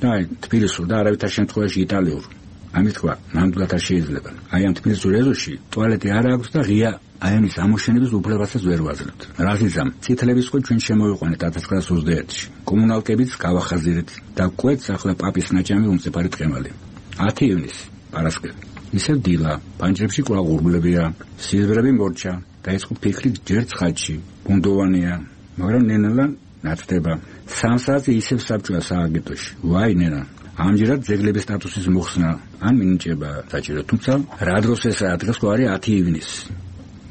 და აი თბილისურ და არავითარ შემთხვევაში იტალიურ. ამის თქვა ნამდვილად არ შეიძლება. აი ამ თბილისურ ეზოში ტუალეტი არ აქვს და ღია აიონის ამოშენების უფლებასაც ვერ ვაძლევთ. რაზეც წითლების ხო ჩვენ შემოვიყვანეთ 1921-ში. კომუნალკებიც გავახაზირეთ და კვეთს ახლა პაპის ნაჭამი უმწიფარი ტყემალი. 10 ივნისი, პარასკევი. ისევ დილა, პანჯრებში კვლავ ღურბულებია, სილვერები მორჩა, დაიწყო ფიქრი ჯერ ცხადში, ბუნდოვანია, მაგრამ ნენელა ნათდება. 3 საათზე ისევ საბჭოა სააგენტოში. ვაი ნენა, ამჯერად ძეგლების სტატუსის მოხსნა ან მინიჭება საჭირო, თუმცა რა დროს ესაა, დღეს ხო არის 10 ივნისი.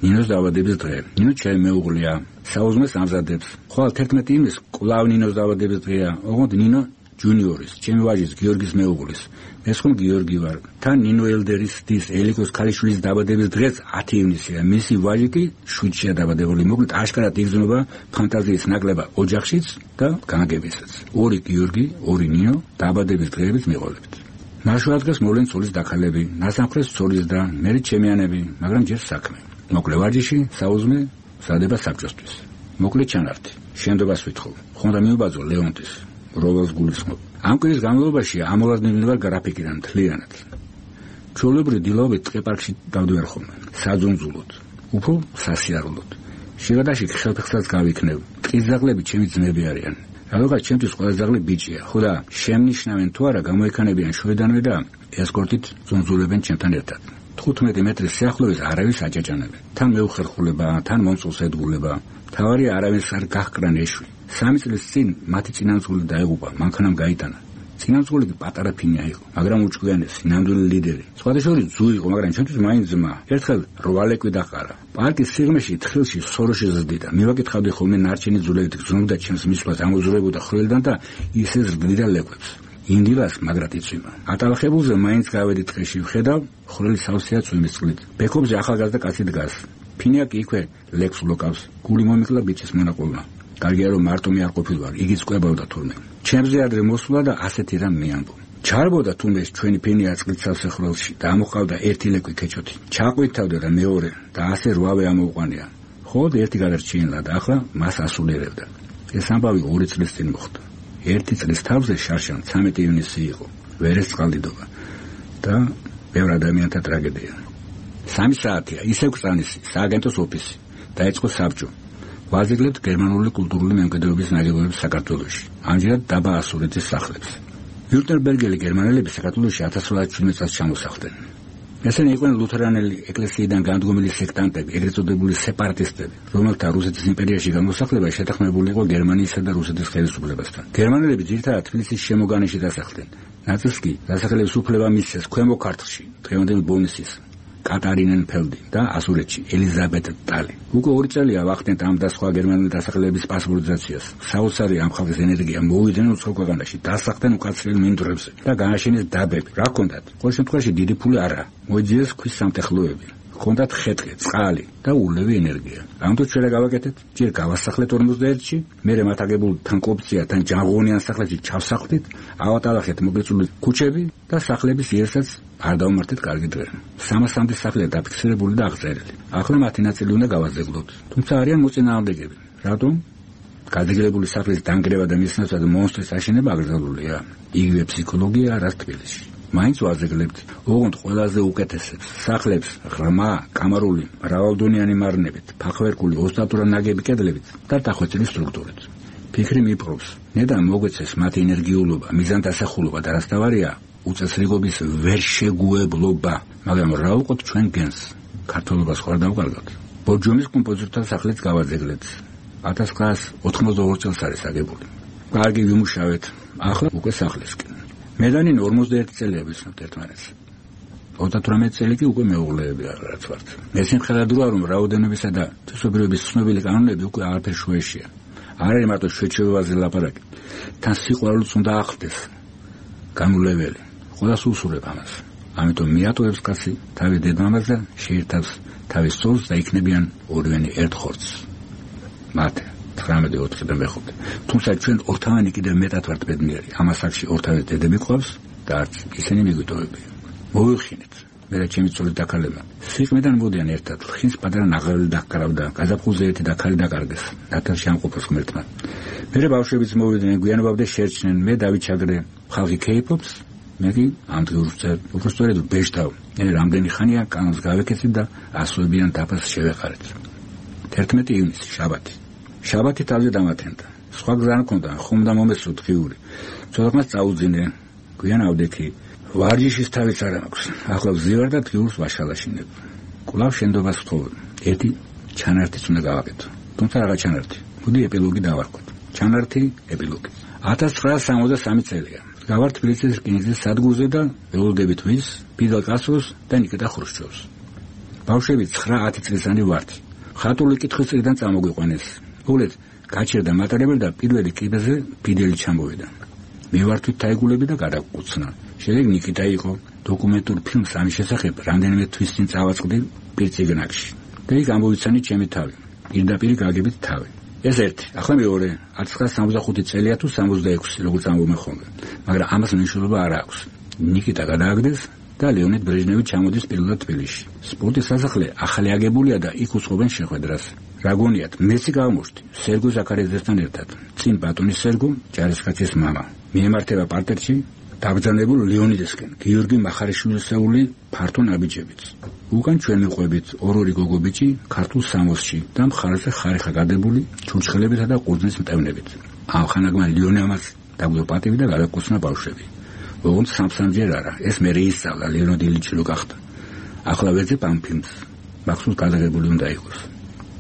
ნინოს დაბადების დღე. ნინო ჩემი მეუღლეა, საუზმეს ამზადებს. ხვალ 11 ივნისს კვლავ ნინოს დაბადების დღეა, ოღონდ ნინო ჯუნიორის, ჩემი ვაჟის გიორგის მეუღლის. ეს ხომ გიორგი ვარ. თან ნინო ელდერის დის ელიკოს ქალიშვილის დაბადების დღეც 10 ივნისია. მისი ვაჟი კი შვიდშია დაბადებული. მოკლედ აშკარად იგრძნობა ფანტაზიის ნაკლება ოჯახშიც და განაგებისაც. 2 გიორგი, 2 ნინო დაბადების დღეებით მიყოლებით. ნაშუა დღეს მოვლენ ცოლის დაქალები, ნასამხრეს ცოლის და მერე ჩემიანები, მაგრამ ჯერ საქმე. მოკლე ვარჯიში, საუზმე, სადება საბჭოსთვის. მოკლე ჩანართი. შენდობას ვითხოვ. ხონდა მიუბაძო ლეონტის, როველს გულისხმობ. ამ კვირის განმავლობაში ამოლაძნილი ვარ გრაფიკიდან მთლიანად. ჩვეულებრივ დილაობით ტყეპარკში დავდივარ ხოლმე, საძუნძულოდ, უფრო სასიარულოდ. შიგადაში ხელფეხსაც გავიქნევ. ტყის ძაღლები ჩემი ძმები არიან. რადგან ჩემთვის ყველა ძაღლი ბიჭია, ხო და შემნიშნავენ თუ არა გამოიქანებიან შოედანვე და ესკორტით ზუნზულებენ ჩემთან ერთად. 15 მეტრის სიახლოვეს არავის აჭაჭანებენ. თან მეუხერხულება, თან მომწულს ედგულება. თავარი არავის არ გაჰკრან ეშვი. 3 წლის წინ მათი წინამძღოლი დაეღუპა, მანქანამ გაიტანა. წინამძღოლი პატარა ფინია იყო, მაგრამ უჭკვიანესი, ნამდვილი ლიდერი. სხვადასხვა ძუ იყო, მაგრამ ჩვენთვის მაინც ძმა. ერთხელ რვალეკვი დაყარა. პარკის სიღრმეში თხილში სოროში ზრდიდა. მივაკითხავდი ხოლმე ნარჩენი ძულებით გზნობდა ჩემს მისვლას ამოძურებოდა ხვრელიდან და ისე ზრდიდა ლეკვებს. ინდილას მაგრად იწვიმა. ატალახებულზე მაინც გავედი ტყეში, ვხედავ, ხვრელი სავსეა წვიმის წყლით. ბექობზე ახალგაზრდა კაცი დგას. ფინია კი იქვე ლეკვს ლოკავს. გული მომიკლა ბიჭის მონაყოლმა. კარგია რომ მარტო მე არ ყოფილვარ, იგი წყვებავდა თურმე. ჩემზე ადრე მოსულა და ასეთი რამ მეამბო. ჩარბოდა თუნდაც ჩვენი ფენია წყლით სავსეხრელში და ამოყავდა ერთი ლეკვი ქეჩოთი. ჩაყვითავდა და მეორე და ასე 8-ვე ამოუყვანია. ხოდ ერთი გადარჩინა და ახლა მას ასულიერებდა. ეს ამბავი 2 წლის წინ მოხდა. 1 წლის თავზე შარშან 13 ივნისი იყო. ვერეს წყალდიდობა და ბევრ ადამიანთა ტრაგედია. 3 საათია, ისევ კრწანისი, სააგენტოს ოფისი. დაიწყო საბჭო. ვაზრებთ გერმანული კულტურული მემკვიდრეობის ნაგებობებს საქართველოში. ამჯერად დაბა ასურეთის სახლებს. ვიურტენბერგელი გერმანელები საქართველოში 1917 წელს ჩამოსახლდნენ. ესენი იყვნენ ლუთერანელი ეკლესიიდან განდგომილი სექტანტები, ეგრეთ წოდებული სეპარატისტები, რომელთა რუსეთის იმპერიაში გამოსახლება შეთანხმებული იყო გერმანიისა და რუსეთის ხელისუფლებასთან. გერმანელები ძირითადად თბილისის შემოგანში დასახლდნენ. ნაწილს კი დასახლების უფლება მისცეს ქვემო ქართლში, დღევანდელ ბონისის, კატარინენფელდი და ასურეთში ელიზაბეთ ტალი. უკვე 2 წელია ვახდენთ ამ და სხვა გერმანული დასახლების პასპორტიზაციას. საოცარი ამ ხალხის ენერგია მოვიდნენ უცხო ქვეყანაში, დასახლდნენ უკაცრიელ მინდვრებზე და განაშენეს დაბები. რა ჰქონდათ? ყოველ შემთხვევაში დიდი ფული არა. მოიძიეს ქვის სამტეხლოები. ჰქონდათ ხეთყე, წყალი და ულევი ენერგია. ამიტომ ჩვენ რა გავაკეთეთ? ჯერ გავასახლეთ 51-ში, მერე მათ აგებულ თან კოპცია, თან ჯანღონიან სახლებში ჩავსახლდით, ავატალახეთ მოგეწული ქუჩები და სახლების იերსაც არ დავმართეთ კარგი დღე. 300 სახლია დაფიქსირებული და აღწერილი. ახლა მათი ნაწილი უნდა გავაზრდოთ. თუმცა არიან მოწინააღმდეგეები. რატომ? გაძეგლებული სახლის დანგრევა და მის ნაცვლად მონსტრის აშენება აგრძელებულია. იგივე ფსიქოლოგია რაც თბილისში. მაინც ვაზრებთ, ოღონდ ყველაზე უკეთესებს სახლებს ღრმა, კამარული, მრავალდონიანი მარნებით, ფახვერკული, ოსტატურა ნაგები კედლებით და დახვეწილი სტრუქტურით. ფიქრი მიპყრობს, ნედა მოგვეცეს მათი ენერგიულობა, მიზანდასახულობა და რაც თავარია, უწესრიგობის ვერ შეგუებლობა, მაგრამ რა უყოთ ჩვენ გენს? ქართულობას ხარ დავკარგავთ. ბორჯომის კომპოზიტორთა სახლიც გავაძეგლეთ. 1982 წელს არის აგებული. კარგი ვიმუშავეთ. ახლა უკვე სახლისკენ. მედანინ 41 წელია ვიცნობთ ერთმანეთს. 38 წელი კი უკვე მეუღლეები რაც ვართ. მე სიმხედად ვარ, რომ რაოდენობისა და თვისობრივების ცნობილი კანონები უკვე აღარ შეეშია. არ არის მარტო შეჩევაზე ლაპარაკი. თან სიყვარულიც უნდა ახლდეს. განულეველი. ყველას უსურებ ამას. ამიტომ მიატოვებს კაცი თავის დედმამას და შეერთავს თავის სწორს და იქნებიან ორივენი ერთ ხორცს. მათე 19-4 და მე-5. თუმცა ჩვენ ორთავანი კიდევ მეტად ვართ ბედნიერი. ამას აქში ორთავის დედები ყავს და არც ისინი მიგვიტოვებიან. მოვიხინეთ. მე და ჩემი ცოლი დაქალებმა. სიყმედან მოდიან ერთად. ხინს პატარა ნაღრევი დაკარავდა. გაზაფხულზე ერთი დაქალი დაკარგეს. ნათელში ამყოფოს ღმერთმა. მერე ბავშვებიც მოვიდნენ, გვიანობამდე შერჩნენ. მე დავიჩაგრე. ხალხი ქეიფობს. მე კი ამ დღეს უბრალოდ ბეჭდავ. მე რამდენი ხანია კანონს გავეკეთებ და ასოებიან დაფას შევეყარეთ. 11 ივნისი, შაბათი. შაბათი თავზე დამათენდა. სხვა გზა არ მქონდა, ხომ და მომესრო დღიური. ცოტათმაც წაუძინე. გვიან ავდექი. ვარჯიშის თავიც არ აქვს. ახლა ვზივარ და დღიურს ვაშალაშინებ. კვლავ შენდობას ვთხოვ. ერთი ჩანართიც უნდა გავაკეთო. თუმცა რაღა ჩანართი. მოდი ეპილოგი დავარქვათ. ჩანართი, ეპილოგი. 1963 წელია. გავარ თბილისის რკინიგზის სადგურზე და ველოდებით ვის ფიდელ კასტროს და ნიკიტა ხრუშჩოვს. ბავშვები 9-10 წლისანი ვართ. ხატული კითხვის წრიდან წამოგვიყვანეს. მოგლეთ, გაჩერდა მატარებელი და პირველი კიბეზე ფიდელი ჩამოვიდა. მე ვართვით თაიგულები და გადაგკუცნა. შემდეგ ნიკიტა იყო. დოკუმენტურ ფილმს ამის შესახებ რამდენიმე თვის წინ წავაწყდი პირწიგნაკში. და იქ ამოვიცანი ჩემი თავი. პირდაპირ გაგებით თავი. ეს ერთი, ახლა მეორე, 1965 წელია თუ 66, როგორც ამბობენ ხოლმე. მაგრამ ამას მნიშვნელობა არ აქვს. ნიკიტა გადააგდეს და ლეონიდ ბრეჟნევი ჩამოდის პირველად თბილისში. სპორტის სასახლე ახალი აგებულია და იქ უწყობენ შეხვედრას. რა გონიათ, მეც გავმოშთი სერგო ზაქარიაძესთან ერთად. წინ ბატონის სერგო, ჯარისკაცის მამა. მიემართება პარტერში დაბრძანებულ ლეონიდესკენ, გიორგი მახარიშვილისეული ფართო ნაბიჯებით. უკან ჩვენ მიყვებით ორ-ორი გოგობიჭი ქართულ სამოსში და მხარეზე ხარიხა გადებული ჩურჩხელებითა და ყურძნის მტევნებით. ამ ხანაგმან ლეონემას დაგვდო პატივი და გადაგკოცნა ბავშვები. ოღონდ სამ-სამჯერ არა, ეს მე რეისწავლა ლეონიდ ილიჩი რო გახდა. ახლა ვეძებ ამ ფილმს. მახსოვს გადაღებული უნდა იყოს.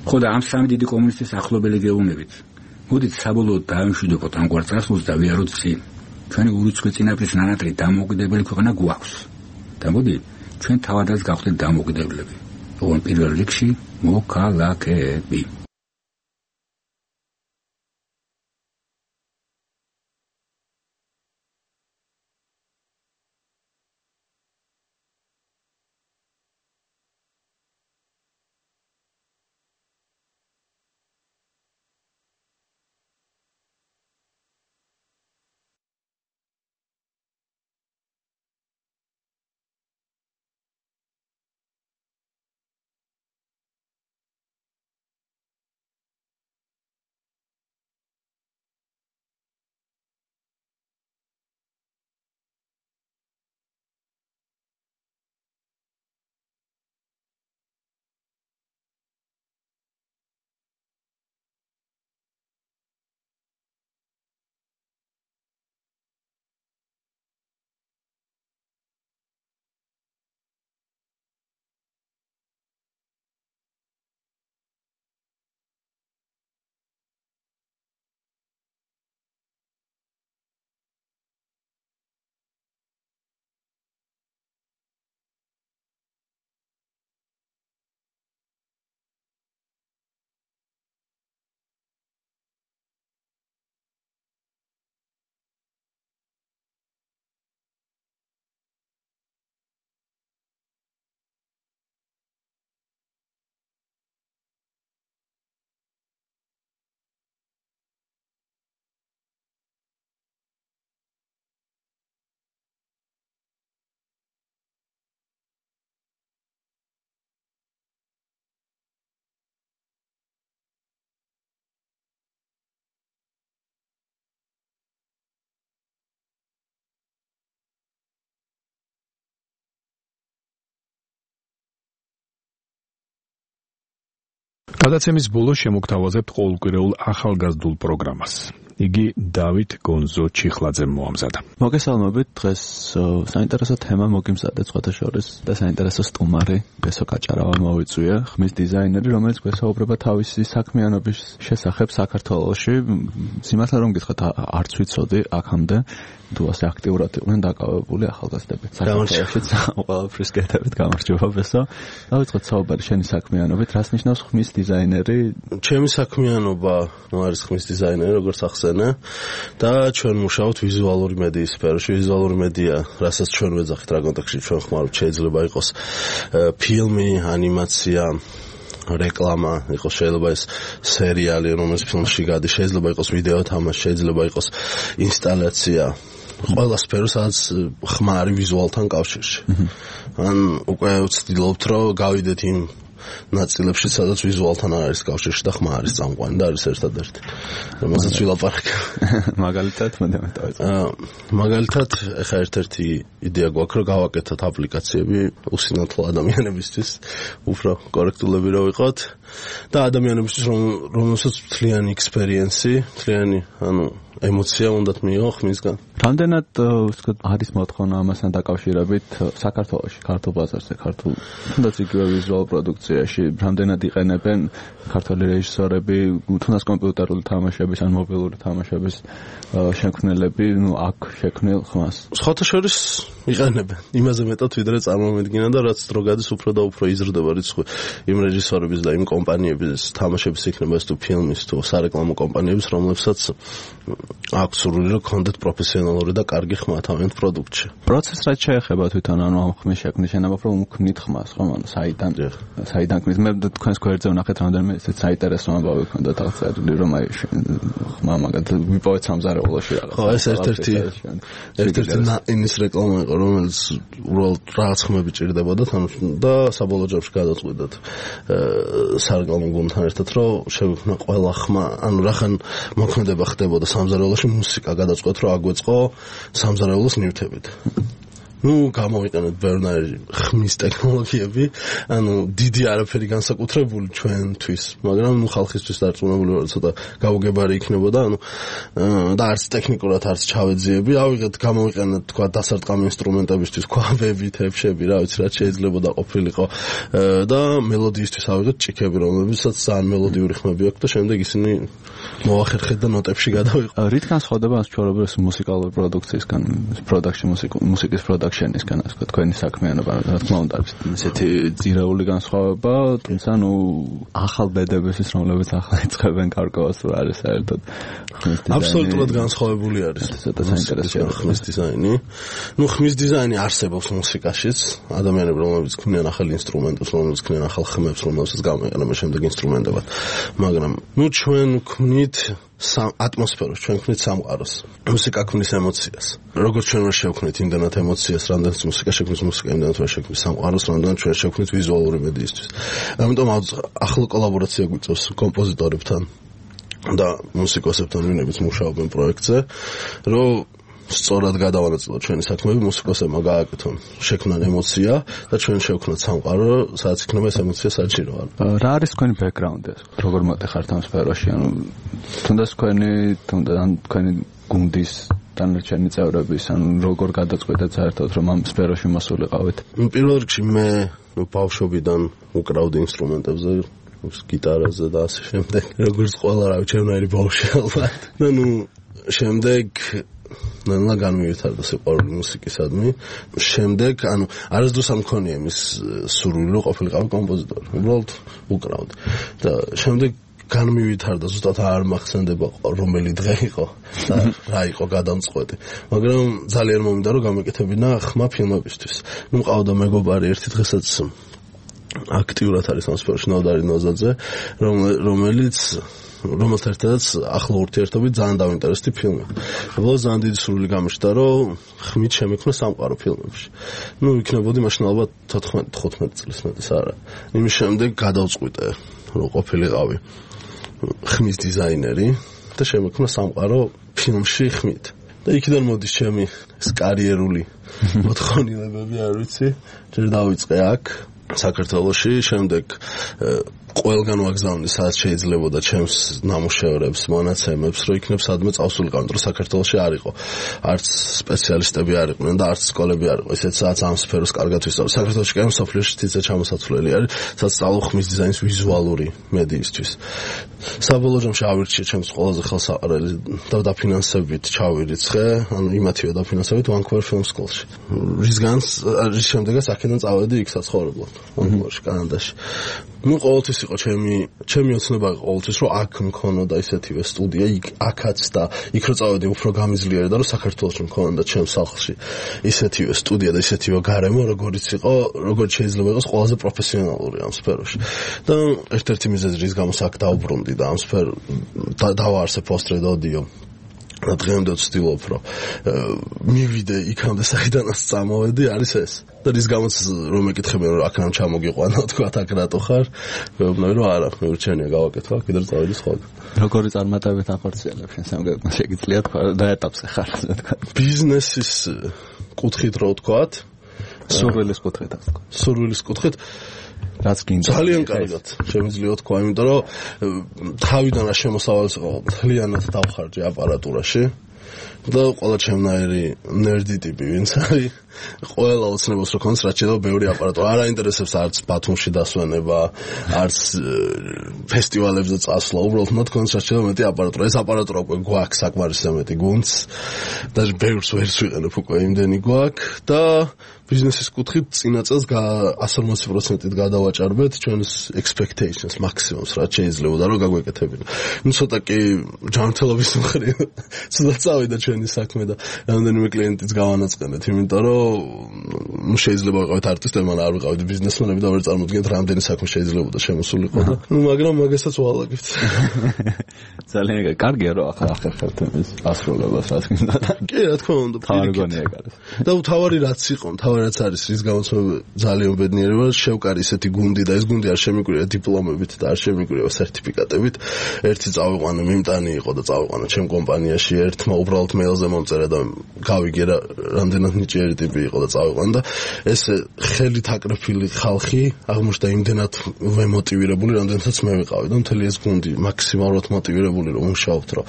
ხო და ამ სამი დიდი კომუნისტის ახლობელი გეუბნებით. მოდით საბოლოოდ დაამშვიდობოთ ამგვარ წარსულს და ვიაროთ წინ. ჩვენი ურიცხვი წინაპრის ნანატრი დამოუკიდებელი ქვეყანა გვაქვს. და მოდი ჩვენ თავადაც გავხდეთ დამოუკიდებლები. ოღონდ პირველ რიგში მოქალაქეები. გადაცემის ბოლოს შემოგთავაზებთ ყოველკვირეულ ახალგაზრდულ პროგრამას. იგი დავით გონზო ჩიხლაძემ მოამზადა. მოგესალმებით, დღეს საინტერესო თემა მოგიმზადეთ სხვათა შორის და საინტერესო სტუმარი ბესო კაჭარავა მოვიწვია, ხმის დიზაინერი, რომელიც გვესაუბრება თავისი საქმიანობის შესახებ საქართველოში. სიმართლე რომ გითხრათ, არც ვიცოდი აქამდე თუ ასე აქტიურად იყვნენ დაკავებული ახალგაზრდები. საქართველოშიც ყველაფრის გეტებით გამარჯობა ბესო. დავიწყოთ საუბარი შენი საქმიანობით, რას ნიშნავს ხმის დიზაინერი? ჩემი საქმიანობა არის ხმის დიზაინერი, როგორც ახსენე, და ჩვენ მუშაობთ ვიზუალური მედიის სფეროში. ვიზუალური მედია, რასაც ჩვენ ვეძახით რა კონტექსტში ჩვენ ხმარობთ, შეიძლება იყოს ფილმი, ანიმაცია, რეკლამა, იყოს შეიძლება ეს სერიალი, რომელიც ფილმში გადის, შეიძლება იყოს ვიდეო თამაში, შეიძლება იყოს ინსტალაცია. ყველა სფერო, სადაც ხმა არის ვიზუალთან კავშირში. ან უკვე ვცდილობთ, რომ გავიდეთ იმ ნაწილებში, სადაც ვიზუალთან არ არის კავშირში და ხმა არის წამყვანი და არის ერთადერთი. რომელსაც ვილაპარაკე. მაგალითად, მაგალითად, ეხა ერთ-ერთი იდეა გვაქვს, რომ გავაკეთოთ აპლიკაციები უსინათლო ადამიანებისთვის, უფრო კორექტულები რომ ვიყოთ და ადამიანებისთვის, რომელსაც მთლიანი ექსპერიენსი, მთლიანი, ემოცია უნდათ მიიღო ხმისგან. რამდენად ვთქვათ, არის მოთხოვნა ამასთან დაკავშირებით საქართველოში, ქართულ ბაზარზე, ქართულ თუნდაც იგივე ვიზუალ პროდუქციაში, რამდენად იყენებენ ქართული რეჟისორები, თუნდაც კომპიუტერული თამაშების ან მობილური თამაშების შემქმნელები, აქ შექმნილ ხმას? სხვათა შორის იყენებენ. იმაზე მეტად ვიდრე წარმომედგინა და რაც დრო გადის, უფრო და უფრო იზრდება რიცხვი იმ რეჟისორების და იმ კომპანიების თამაშების იქნება თუ ფილმის თუ სარეკლამო კომპანიების, რომლებსაც აქვს სურვილი რომ კონდეთ პროფესიონალური და კარგი ხმა თავიანთ პროდუქტში. პროცესს რაც შეეხება თვითონ ამ ხმის შექმნის შენაბა რომ უქმნით ხმას, ხო, საიდან ქმნით? მე თქვენს გვერდზე ვნახეთ რამდენიმე ესეც საინტერესო ამბავი ქონდათ აღწერილი, რომ აი ხმა მაგალითად ვიპოვეთ სამზარეულოში რაღაც. ხო, ეს ერთ-ერთი ინის რეკლამა იყო, რომელიც უბრალოდ რაღაც ხმები ჭირდებოდა და საბოლოო ჯამში გადაწყვეტეთ სარეკლამო გუნდთან ერთად, რომ შევიქმნა ყველა ხმა, ანუ რახან მოქმედება ხდებოდა სამზარეულოში, მუსიკა გადაწყვეტ, რომ აგვეწყო სამზარეულოს ნივთებით. გამოვიყენეთ ბევრი ხმის ტექნოლოგიები, დიდი არაფერი განსაკუთრებული ჩვენთვის, მაგრამ ხალხისთვის დარწმუნებული ვარ, ცოტა გაუგებარი იქნებოდა, და არც ტექნიკურად არც ჩავეძიები, გამოვიყენეთ თქვა დასარტყამი ინსტრუმენტებისთვის, ქვაბები, თეფშები, რა ვიცი, რაც შეიძლებოდა ყოფილიყო და მელოდიისთვის ავიღეთ ჭიქები, რომლებსაც ძალიან მელოდიური ხმები აქვს და შემდეგ ისინი მოახერხეთ და ნოტებში გადავიყო. რით განსხვავდება ჩვეულებრივი მუსიკალური პროდუქციისგან, მუსიკის პროდუქციისგან, ასე ვთქვათ, თქვენი საქმიანობა, რა თქმა უნდა, ისეთი ძირეული განსხვავება, თუმცა ახალ ბედებისთვის, რომლებიც ახლა იწყებენ კარგავს, არის საერთოდ ხმის დიზაინი. აბსოლუტურად განსხვავებული არის. ცოტა საინტერესოა ხმის დიზაინი. ხმის დიზაინი არსებობს მუსიკაშიც, ადამიანები, რომლებიც ქმნიან ახალ ინსტრუმენტებს, რომლებიც ქმნიან ახალ ხმებს, რომლებსაც გამოიყენებენ შემდეგ ინსტრუმენტებად, მაგრამ ჩვენ ქმნით ატმოსფეროს, ჩვენ ქმნით სამყაროს. მუსიკა ქმნის ემოციას. როგორც ჩვენ ვერ შევქმნით იმდანად ემოციას, რამდენიც მუსიკა შექმნის მუსიკა, იმდანად ვერ შექმნის სამყაროს, რამდენად ჩვენ შევქმნით ვიზუალური მედიისთვის. ამიტომ ახლა კოლაბორაცია გვიწევს კომპოზიტორებთან და მუსიკოსებთან, ვინებიც მუშაობენ პროექტზე, რომ სწორად გადავანაწილოთ ჩვენი საქმეები, მუსიკოსებმა გააკეთონ, შექმნან ემოცია და ჩვენ შევქმნათ სამყარო, სადაც იქნება ეს ემოცია საჭირო. რა არის თქვენი ბექგრაუნდი? როგორ მოტეხართ ამ სფეროში? თუნდაც თქვენი გუნდის დანარჩენი წევრების, როგორ გადაწყვეტეთ საერთოდ რომ ამ სფეროში მოსულიყავით? პირველ რიგში მე ბავშვობიდან უკრავდი ინსტრუმენტებზე, გიტარაზე და ასე შემდეგ. როგორც ყველა რავი, ჩემნაირი ბავშვი ალბათ. და შემდეგ ნანა განმივეთარდა სიყვარული მუსიკისადმი. შემდეგ, არასდროს არ მქონია იმის სურვილი, რომ ყოფილიყავი კომპოზიტორი. უბრალოდ უკრავდი. და შემდეგ განმივეთარდა, ზუსტად არ მახსენდება რომელი დღე იყო და რა იყო გადამწყვეტი. მაგრამ ძალიან მომინდა, რომ გამეკეთებინა ხმა ფილმებისთვის. მყავდა მეგობარი ერთი დღესაც აქტიურად არის ამ სფეროში, ნოდარი ნოზაძე, რომელთან ერთადაც ახლა ურთიერთობით ძალიან დავინტერესდი ფილმი. უბრალოდ ძალიან დიდი სურვილი გამიშთა, რომ ხმით შემექმნა სამყარო ფილმებში. იქნებოდი მაშინ ალბათ 14-15 წლის მეტის არა. იმის შემდეგ გადავწყვიტე, რომ ყოფილიყავი ხმის დიზაინერი და შემექმნა სამყარო ფილმში ხმით. და იქიდან მოდის ჩემი ეს კარიერული მოთხოვნილებები, არ ვიცი, ჯერ დავიწყე აქ საქართველოში, შემდეგ ყველგან ვაგზავნე სადაც შეიძლებოდა ჩემს ნამუშევრებს, მონაცემებს, რომ იქნებ სადმე წავსულიყავ, რომ საქართველოში არ იყო. არც სპეციალისტები არ იყვნენ და არც სკოლები არ იყო. ისეთ სადაც ამ სფეროს კარგად ვისწავლე. საქართველოში კი მსოფლიოში თითზე ჩამოსაცვლელი არის, სადაც სწავლობ ხმის დიზაინის ვიზუალური მედიისთვის. საბოლოო ჯამში ავირჩიე ჩემს ყველაზე ხელსაყრელი და დაფინანსებით ჩავირიცხე, ანუ იმათივე დაფინანსებით Vancouver Film School-ში. რის შემდეგაც აქედან წავედი იქ საცხოვრებლად, Vancouver-ში, კანადაში. ყოველთვის იყო ჩემი ოცნება ყოველთვის რომ აქ მქონოდა ისეთივე სტუდია, აქაც და იქ რო წავედი უფრო გამიზლიერი და რომ საქართველოში მქონოდა ჩემს სახლში ისეთივე სტუდია და ისეთივე გარემო, როგორც შეიძლება იყოს ყველაზე პროფესიონალური ამ სფეროში. და ერთ-ერთი მიზეზი რის გამოც აქ დავბრუნდი და ამ დავაარსე Post-Red Audio. და დღემდე ვცდილობ რომ მივიდე იქამდე საიდანაც წამოვედი არის ეს და რის გამოც რომ მეკითხებიან რომ აქ რამ ჩამოგიყვანა თქვა აქ რატო ხარ მეუბნები რომ არა მეურჩენია გავაკეთო კიდევ წავედი სხვაგან როგორი წარმატებით ახორციელებ შენ სამგებლო შეგიძლია თქვა და ეტაპზე ხარ თქვა ბიზნესის კუთხით რო ვთქვათ სურვილის კუთხით ასე თქვა სურვილის კუთხით რაც გინდა ძალიან კარგად შემიძლია თქვა იმიტომ რომ თავიდან რა შემოსავალს იყო მთლიანად დავხარჯე აპარატურაში და ყველა ჩემნაირი ნერდი ტიპი ვინც არის ყველა ოცნებას რო ქონს რაც შეიძლება ბევრი აპარატურა არ აინტერესებს არც ბათუმში დასვენება არც ფესტივალებზე წასვლა უბრალოდ მოთქონს რაც შეიძლება მეტი აპარატურა ეს აპარატურა უკვე გვაქვს საკმარისზე მეტი გუნდს და ბევრს ვერც ვიყენებ უკვე იმდენი გვაქვს და ბიზნესის კუთხით წინა წელს 180%-ით გადავაჭარბეთ ჩვენს expectations მაქსიმუმს რაც შეიძლება რომ გაგვეკეთებინა. ნუ ცოტა კი ჯანმრთელობის მხრივ ცოტა წავიდა ჩვენი საქმე და რამდენიმე კლიენტიც გავანაწყენეთ, იმიტომ რომ ნუ შეიძლება ვიყავით არტისტები, მაგრამ არ ვიყავით ბიზნესმენები და ვერ წარმოვიდგენთ რამდენი საქმე შეიძლება შემოსულიყო და ნუ მაგრამ მაგასაც ვალაგებთ. ძალიან კარგია რომ ახერხებთ ეს ასრულებას რაც გინდა. კი რა თქმა უნდა. თავარგონია კარგი. და თავარი რაც იყო, რაც არის რის გამოც ძალიან ბედნიერი ვარ შევკარი ისეთი გუნდი და ეს გუნდი არ შემიგვირია დიპლომებით და არ შემიგვირია სერტიფიკატებით ერთი წავიყვანე მიმტანი იყო და წავიყვანე ჩემ კომპანიაში ერთმა უბრალოდ მეილზე მომწერა და გავიგე რა რამდენად ნიჭიერი ტიპი იყო და წავიყვანე და ეს ხელით აკრეფილი ხალხი აღმოჩნდა იმდენად ვემოტივირებული რამდენადაც მე ვიყავი და მთელი ეს გუნდი მაქსიმალურად მოტივირებული რომ ვმუშაობთ რომ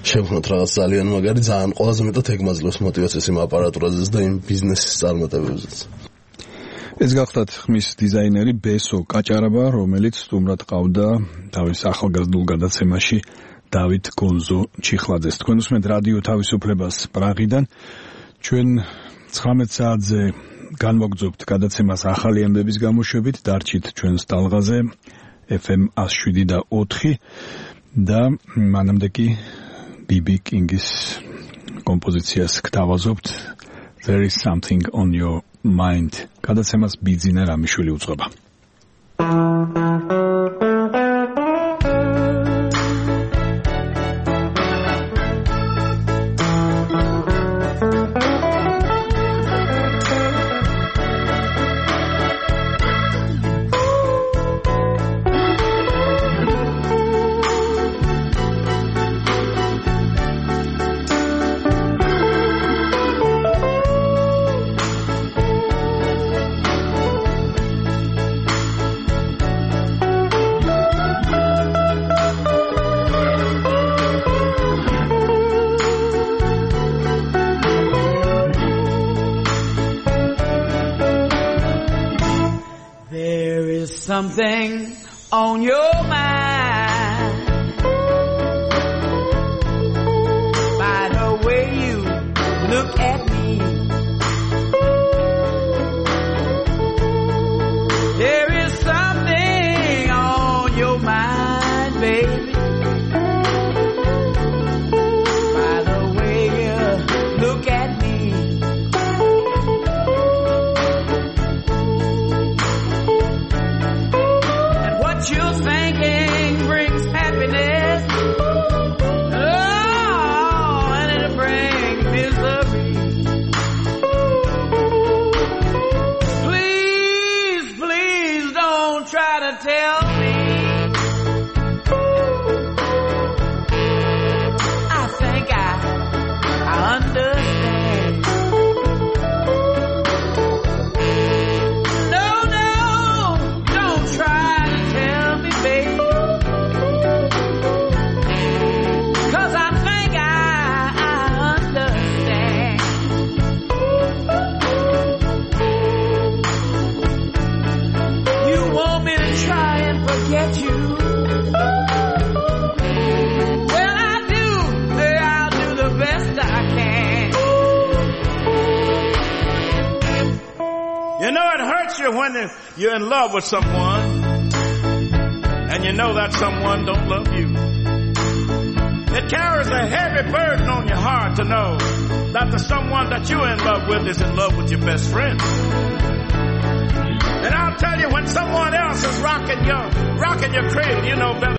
შევქმნათ რაღაც ძალიან მაგარი ძალიან ყველაზე მეტად ეგმაძლევს მოტივაციას იმ აპარატურაზე და იმ ბიზნესის წარმატებებზე ეს გახლავთ ხმის დიზაინერი ბესო კაჭარაბა, რომელიც სტუმრად ყავდა თავის ახალგაზრდულ გადაცემაში დავით გონზო ჩიხლაძეს. თქვენ უსმენთ რადიო თავისუფლებას პრაღიდან. ჩვენ 19 საათზე განმოგძობთ გადაცემას ახალი ამბების გამოშვებით, დარჩით ჩვენს ტალღაზე FM 107.4 და მანამდე კი BB King-ის კომპოზიციას გთავაზობთ There is something on your mind. გადაცემას ბიძინა რამიშვილი უძღვება. Something on your mind by the way you look at me. There is something on your mind, baby, by the way you look at me. You're thinking you when you're in love with someone and you know that someone don't love you. It carries a heavy burden on your heart to know that the someone that you're in love with is in love with your best friend. And I'll tell you, when someone else is rocking your cradle, you know better.